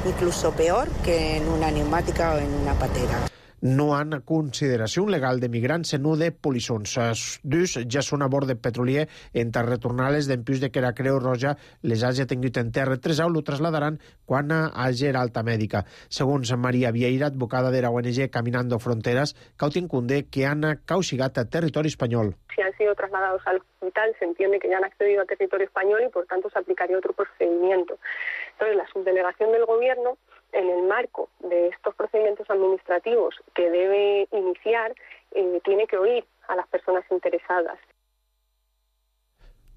incluso peor que en una neumática o en una patera. No han consideració legal de migrants en de polissons. Els dos ja són a bord del petrolier entre retornar-les d'empús de que la Creu Roja les hagi tingut en terra. 3 ho trasladaran quan hagi alta mèdica. Segons Maria Vieira, advocada de la ONG Caminando Fronteras, Cautin Cundé, que han causigat a territori espanyol. Si han sido trasladados al hospital, se entiende que ya han accedido a territorio español y por tanto se aplicaría otro procedimiento. Entonces, la subdelegación del Gobierno, en el marco de estos procedimientos administrativos que debe iniciar, tiene que oír a las personas interesadas.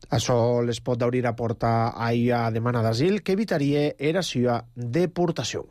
Això les pot obrir a porta a la demanda d'asil que evitaria la seva deportació.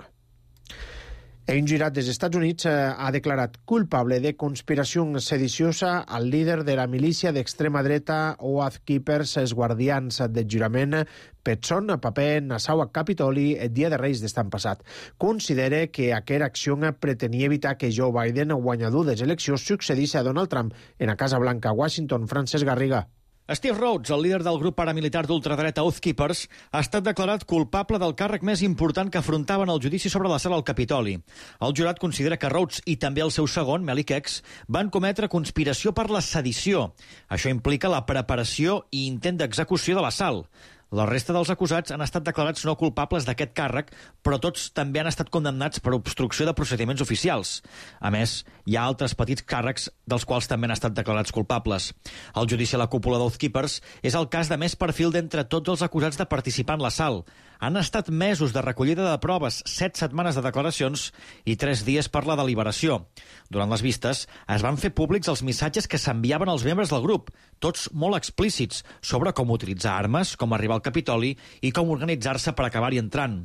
Un jurat dels Estats Units ha declarat culpable de conspiració sediciosa al líder de la milícia d'extrema dreta Oath Keepers, els guardians del jurament, Petson paper Nassau a Capitoli el dia de Reis d'estan passat. Considera que aquesta acció pretenia evitar que Joe Biden, guanyador de les eleccions, succeís a Donald Trump en la Casa Blanca, Washington. Francesc Garriga. Steve Rhodes, el líder del grup paramilitar d'ultradreta Oath Keepers, ha estat declarat culpable del càrrec més important que afrontaven el judici sobre l'assalt al Capitoli. El jurat considera que Rhodes i també el seu segon, Malik X, van cometre conspiració per la sedició. Això implica la preparació i intent d'execució de l'assalt. La resta dels acusats han estat declarats no culpables d'aquest càrrec, però tots també han estat condemnats per obstrucció de procediments oficials. A més, hi ha altres petits càrrecs dels quals també han estat declarats culpables. El judici a la cúpula d'Oath Keepers és el cas de més perfil d'entre tots els acusats de participar en l'assalt. Han estat mesos de recollida de proves, 7 setmanes de declaracions i 3 dies per la deliberació. Durant les vistes es van fer públics els missatges que s'enviaven als membres del grup, tots molt explícits, sobre com utilitzar armes, com arribar al Capitoli i com organitzar-se per acabar-hi entrant.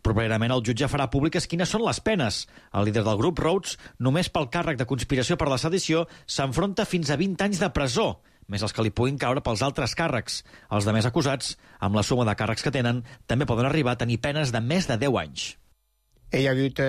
Properament el jutge farà públiques quines són les penes. El líder del grup, Rhodes, només pel càrrec de conspiració per la sedició, s'enfronta fins a 20 anys de presó, més els que li puguin caure pels altres càrrecs. Els demés acusats, amb la suma de càrrecs que tenen, també poden arribar a tenir penes de més de 10 anys. Hi ha hagut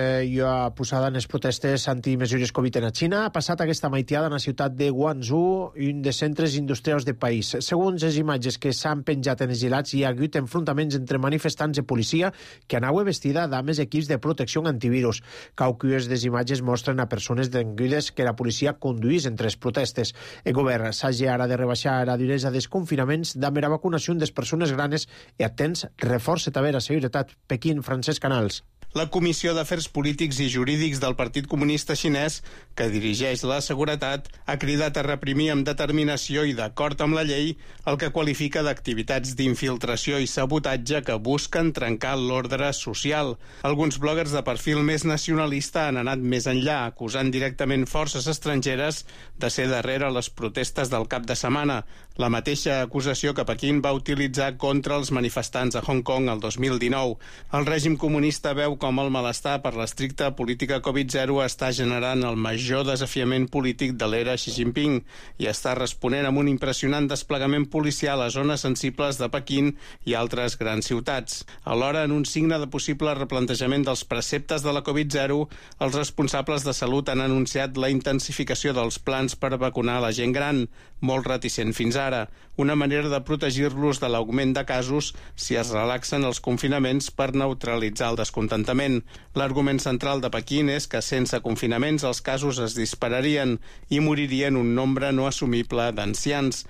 posada en les protestes antimesures Covid en la Xina. Ha passat aquesta maitiada en la ciutat de Guangzhou, un dels centres industrials del país. Segons les imatges que s'han penjat en els gilats, hi ha hagut enfrontaments entre manifestants i policia que anaven vestida d'homes equips de protecció antivirus. Cauques des imatges mostren a persones detingudes que la policia conduís entre les protestes. El govern s'hagi ara de rebaixar la duresa dels confinaments d'amb la vacunació des persones granes i atents reforça també la seguretat. Pequín, Francesc Canals. La Comissió d'Afers Polítics i Jurídics del Partit Comunista Xinès, que dirigeix la seguretat, ha cridat a reprimir amb determinació i d'acord amb la llei el que qualifica d'activitats d'infiltració i sabotatge que busquen trencar l'ordre social. Alguns bloggers de perfil més nacionalista han anat més enllà, acusant directament forces estrangeres de ser darrere les protestes del cap de setmana, la mateixa acusació que Pequín va utilitzar contra els manifestants a Hong Kong el 2019. El règim comunista veu com el malestar per l'estricta política Covid-0 està generant el major desafiament polític de l'era Xi Jinping i està responent amb un impressionant desplegament policial a zones sensibles de Pequín i altres grans ciutats. Alhora, en un signe de possible replantejament dels preceptes de la Covid-0, els responsables de salut han anunciat la intensificació dels plans per vacunar la gent gran, molt reticent fins ara, una manera de protegir-los de l'augment de casos si es relaxen els confinaments per neutralitzar el descontentament. L'argument central de Pequín és que sense confinaments els casos es dispararien i moririen un nombre no assumible d'ancians.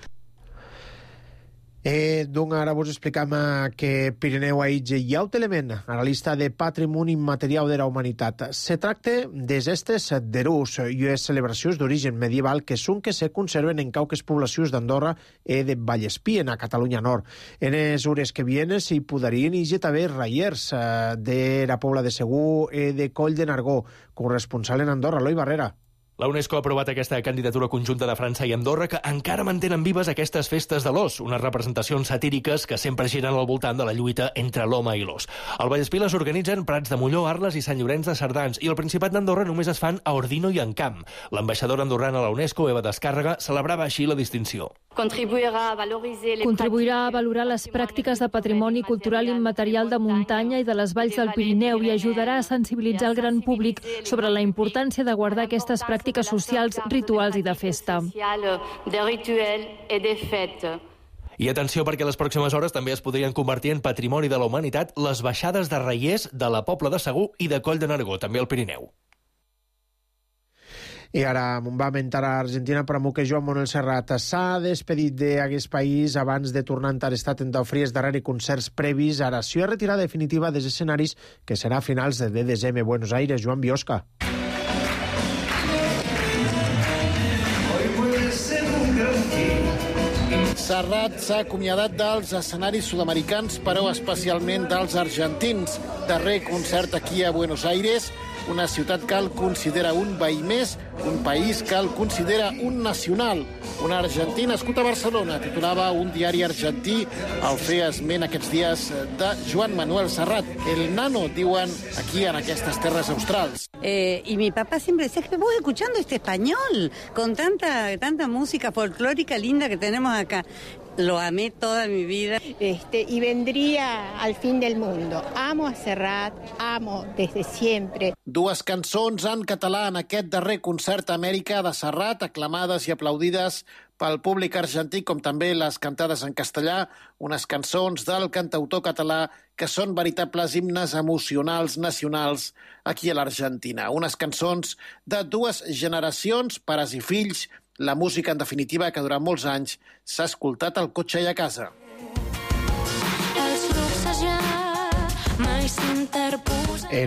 Doncs ara vos explicam que Pirineu Aitge hi ha un element a la llista de patrimoni immaterial de la humanitat. Se tracta d'estes derús i les celebracions d'origen medieval que són que se conserven en cauques poblacions d'Andorra i de Vallespí, en a Catalunya Nord. En les hores que vienen s'hi podarien higir també raiers de la Pobla de Segur i de Coll de Nargó, corresponsal en Andorra, Eloi Barrera. La UNESCO ha aprovat aquesta candidatura conjunta de França i Andorra que encara mantenen vives aquestes festes de l'os, unes representacions satíriques que sempre giren al voltant de la lluita entre l'home i l'os. Al Vallespí les organitzen Prats de Molló, Arles i Sant Llorenç de Cerdans, i al Principat d'Andorra només es fan a Ordino i Encamp. L'ambaixadora andorrana a la UNESCO, Eva Descàrrega, celebrava així la distinció. Contribuirà a valorar les pràctiques de patrimoni cultural immaterial de muntanya i de les valls del Pirineu i ajudarà a sensibilitzar el gran públic sobre la importància de guardar aquestes pràctiques socials, rituals i de festa. I atenció, perquè les pròximes hores també es podrien convertir en patrimoni de la humanitat les baixades de reiers de la Pobla de Segur i de Coll de Nargó, també al Pirineu. I ara vam entrar a Argentina per a que Joan Manuel Serrat s'ha despedit d'aquest país abans de tornar a estat en d'oferir els darrers concerts previs. Ara s'hi ha retirat definitiva dels escenaris, que serà a finals de desembre. Buenos Aires, Joan Biosca. Serrat s'ha acomiadat dels escenaris sud-americans, però especialment dels argentins. Darrer concert aquí a Buenos Aires, una ciutat que el considera un veí més, un país que el considera un nacional. Un argentí nascut a Barcelona, titulava un diari argentí al fer esment aquests dies de Joan Manuel Serrat. El nano, diuen aquí en aquestes terres australs. Y mi papá siempre decía que vos escuchando este español, con tanta música folclórica linda que tenemos acá. Lo amé toda mi vida. Y vendría al fin del mundo. Amo a Serrat, amo desde siempre. Dues cançons en català en aquest darrer concert a Amèrica de Serrat, aclamades i aplaudides pel públic argentí, com també les cantades en castellà, unes cançons del cantautor català que són veritables himnes emocionals nacionals aquí a l'Argentina. Unes cançons de dues generacions, pares i fills, la música, en definitiva, que durant molts anys s'ha escoltat al cotxe i a casa.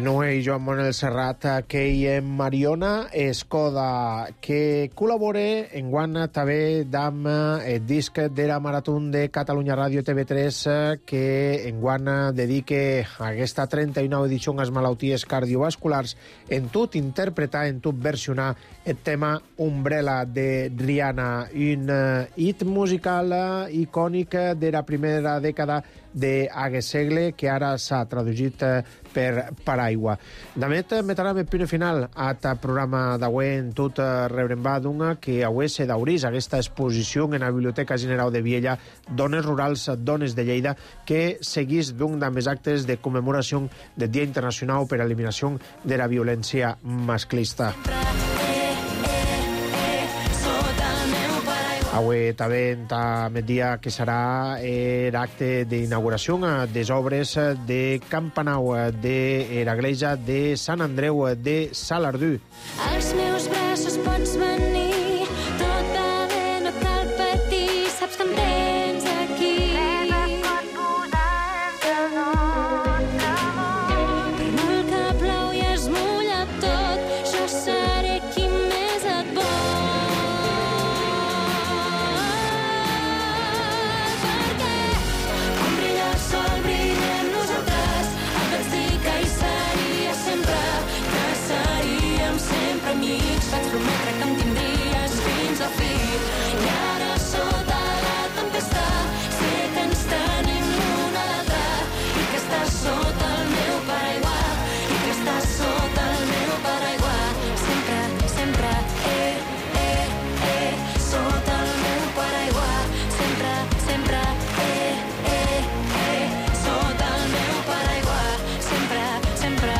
Noé i Joan Manuel Serrat, que en Mariona Escoda, que col·labora en guant també amb el disc de la Maratón de Catalunya Ràdio TV3, que en guant dedique a aquesta 39 edició a les malalties cardiovasculars, en tot interpretar, en tot versionar el tema Umbrella de Rihanna, un hit musical icònic de la primera dècada d'aquest segle, que ara s'ha traduït per paraigua. Damet, metarà el punt final a ta programa d'avui en tot rebrem va d'una que avui se daurís aquesta exposició en la Biblioteca General de Viella, Dones Rurals, Dones de Lleida, que seguís d'un dels actes de commemoració del Dia Internacional per a l'Eliminació de la Violència Masclista. Avui també en dia que serà l'acte d'inauguració de les obres de Campanau de l'església de Sant Andreu de Salardú. Als meus braços pots venir, tot va bé, no cal patir, saps que em tens aquí. Per molt que plou i es mulla tot, jo seré qui més et vol. Vaig prometre que em tindries fins al fi. I ara sota la tempestat sé que ens tenim l'un a l'altre i que estàs sota el meu paraigua, i que estàs sota el meu paraigua. Sempre, sempre, sota el meu paraigua. Sempre, sempre, sota el meu paraigua. Sempre, sempre,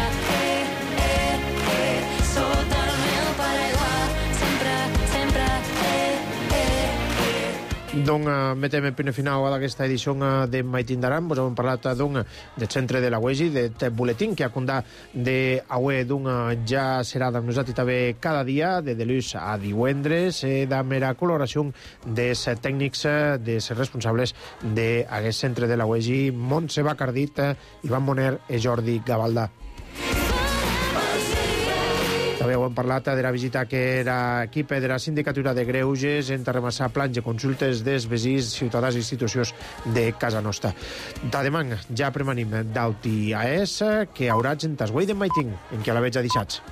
sota el meu paraigua. Sempre, sempre, Donc, metem el punt final d'aquesta edició de Maitín d'Aran. Vos hem parlat del centre de la UESI, del boletín que ha condat d'avui ja serà amb nosaltres també cada dia, de dilluns a divendres, amb la col·laboració dels tècnics, dels responsables d'aquest centre de la UESI, Montse Bacardit, Ivan Moner i Jordi Gavalda. També ho hem parlat de la visita que l'equip de la Sindicatura de Greuges en remassar plans i consultes dels veïns, ciutadans i institucions de casa nostra. De demà ja premanim d'Auti AES, que haurà gent esguai de Maitín, en què la veig a deixats.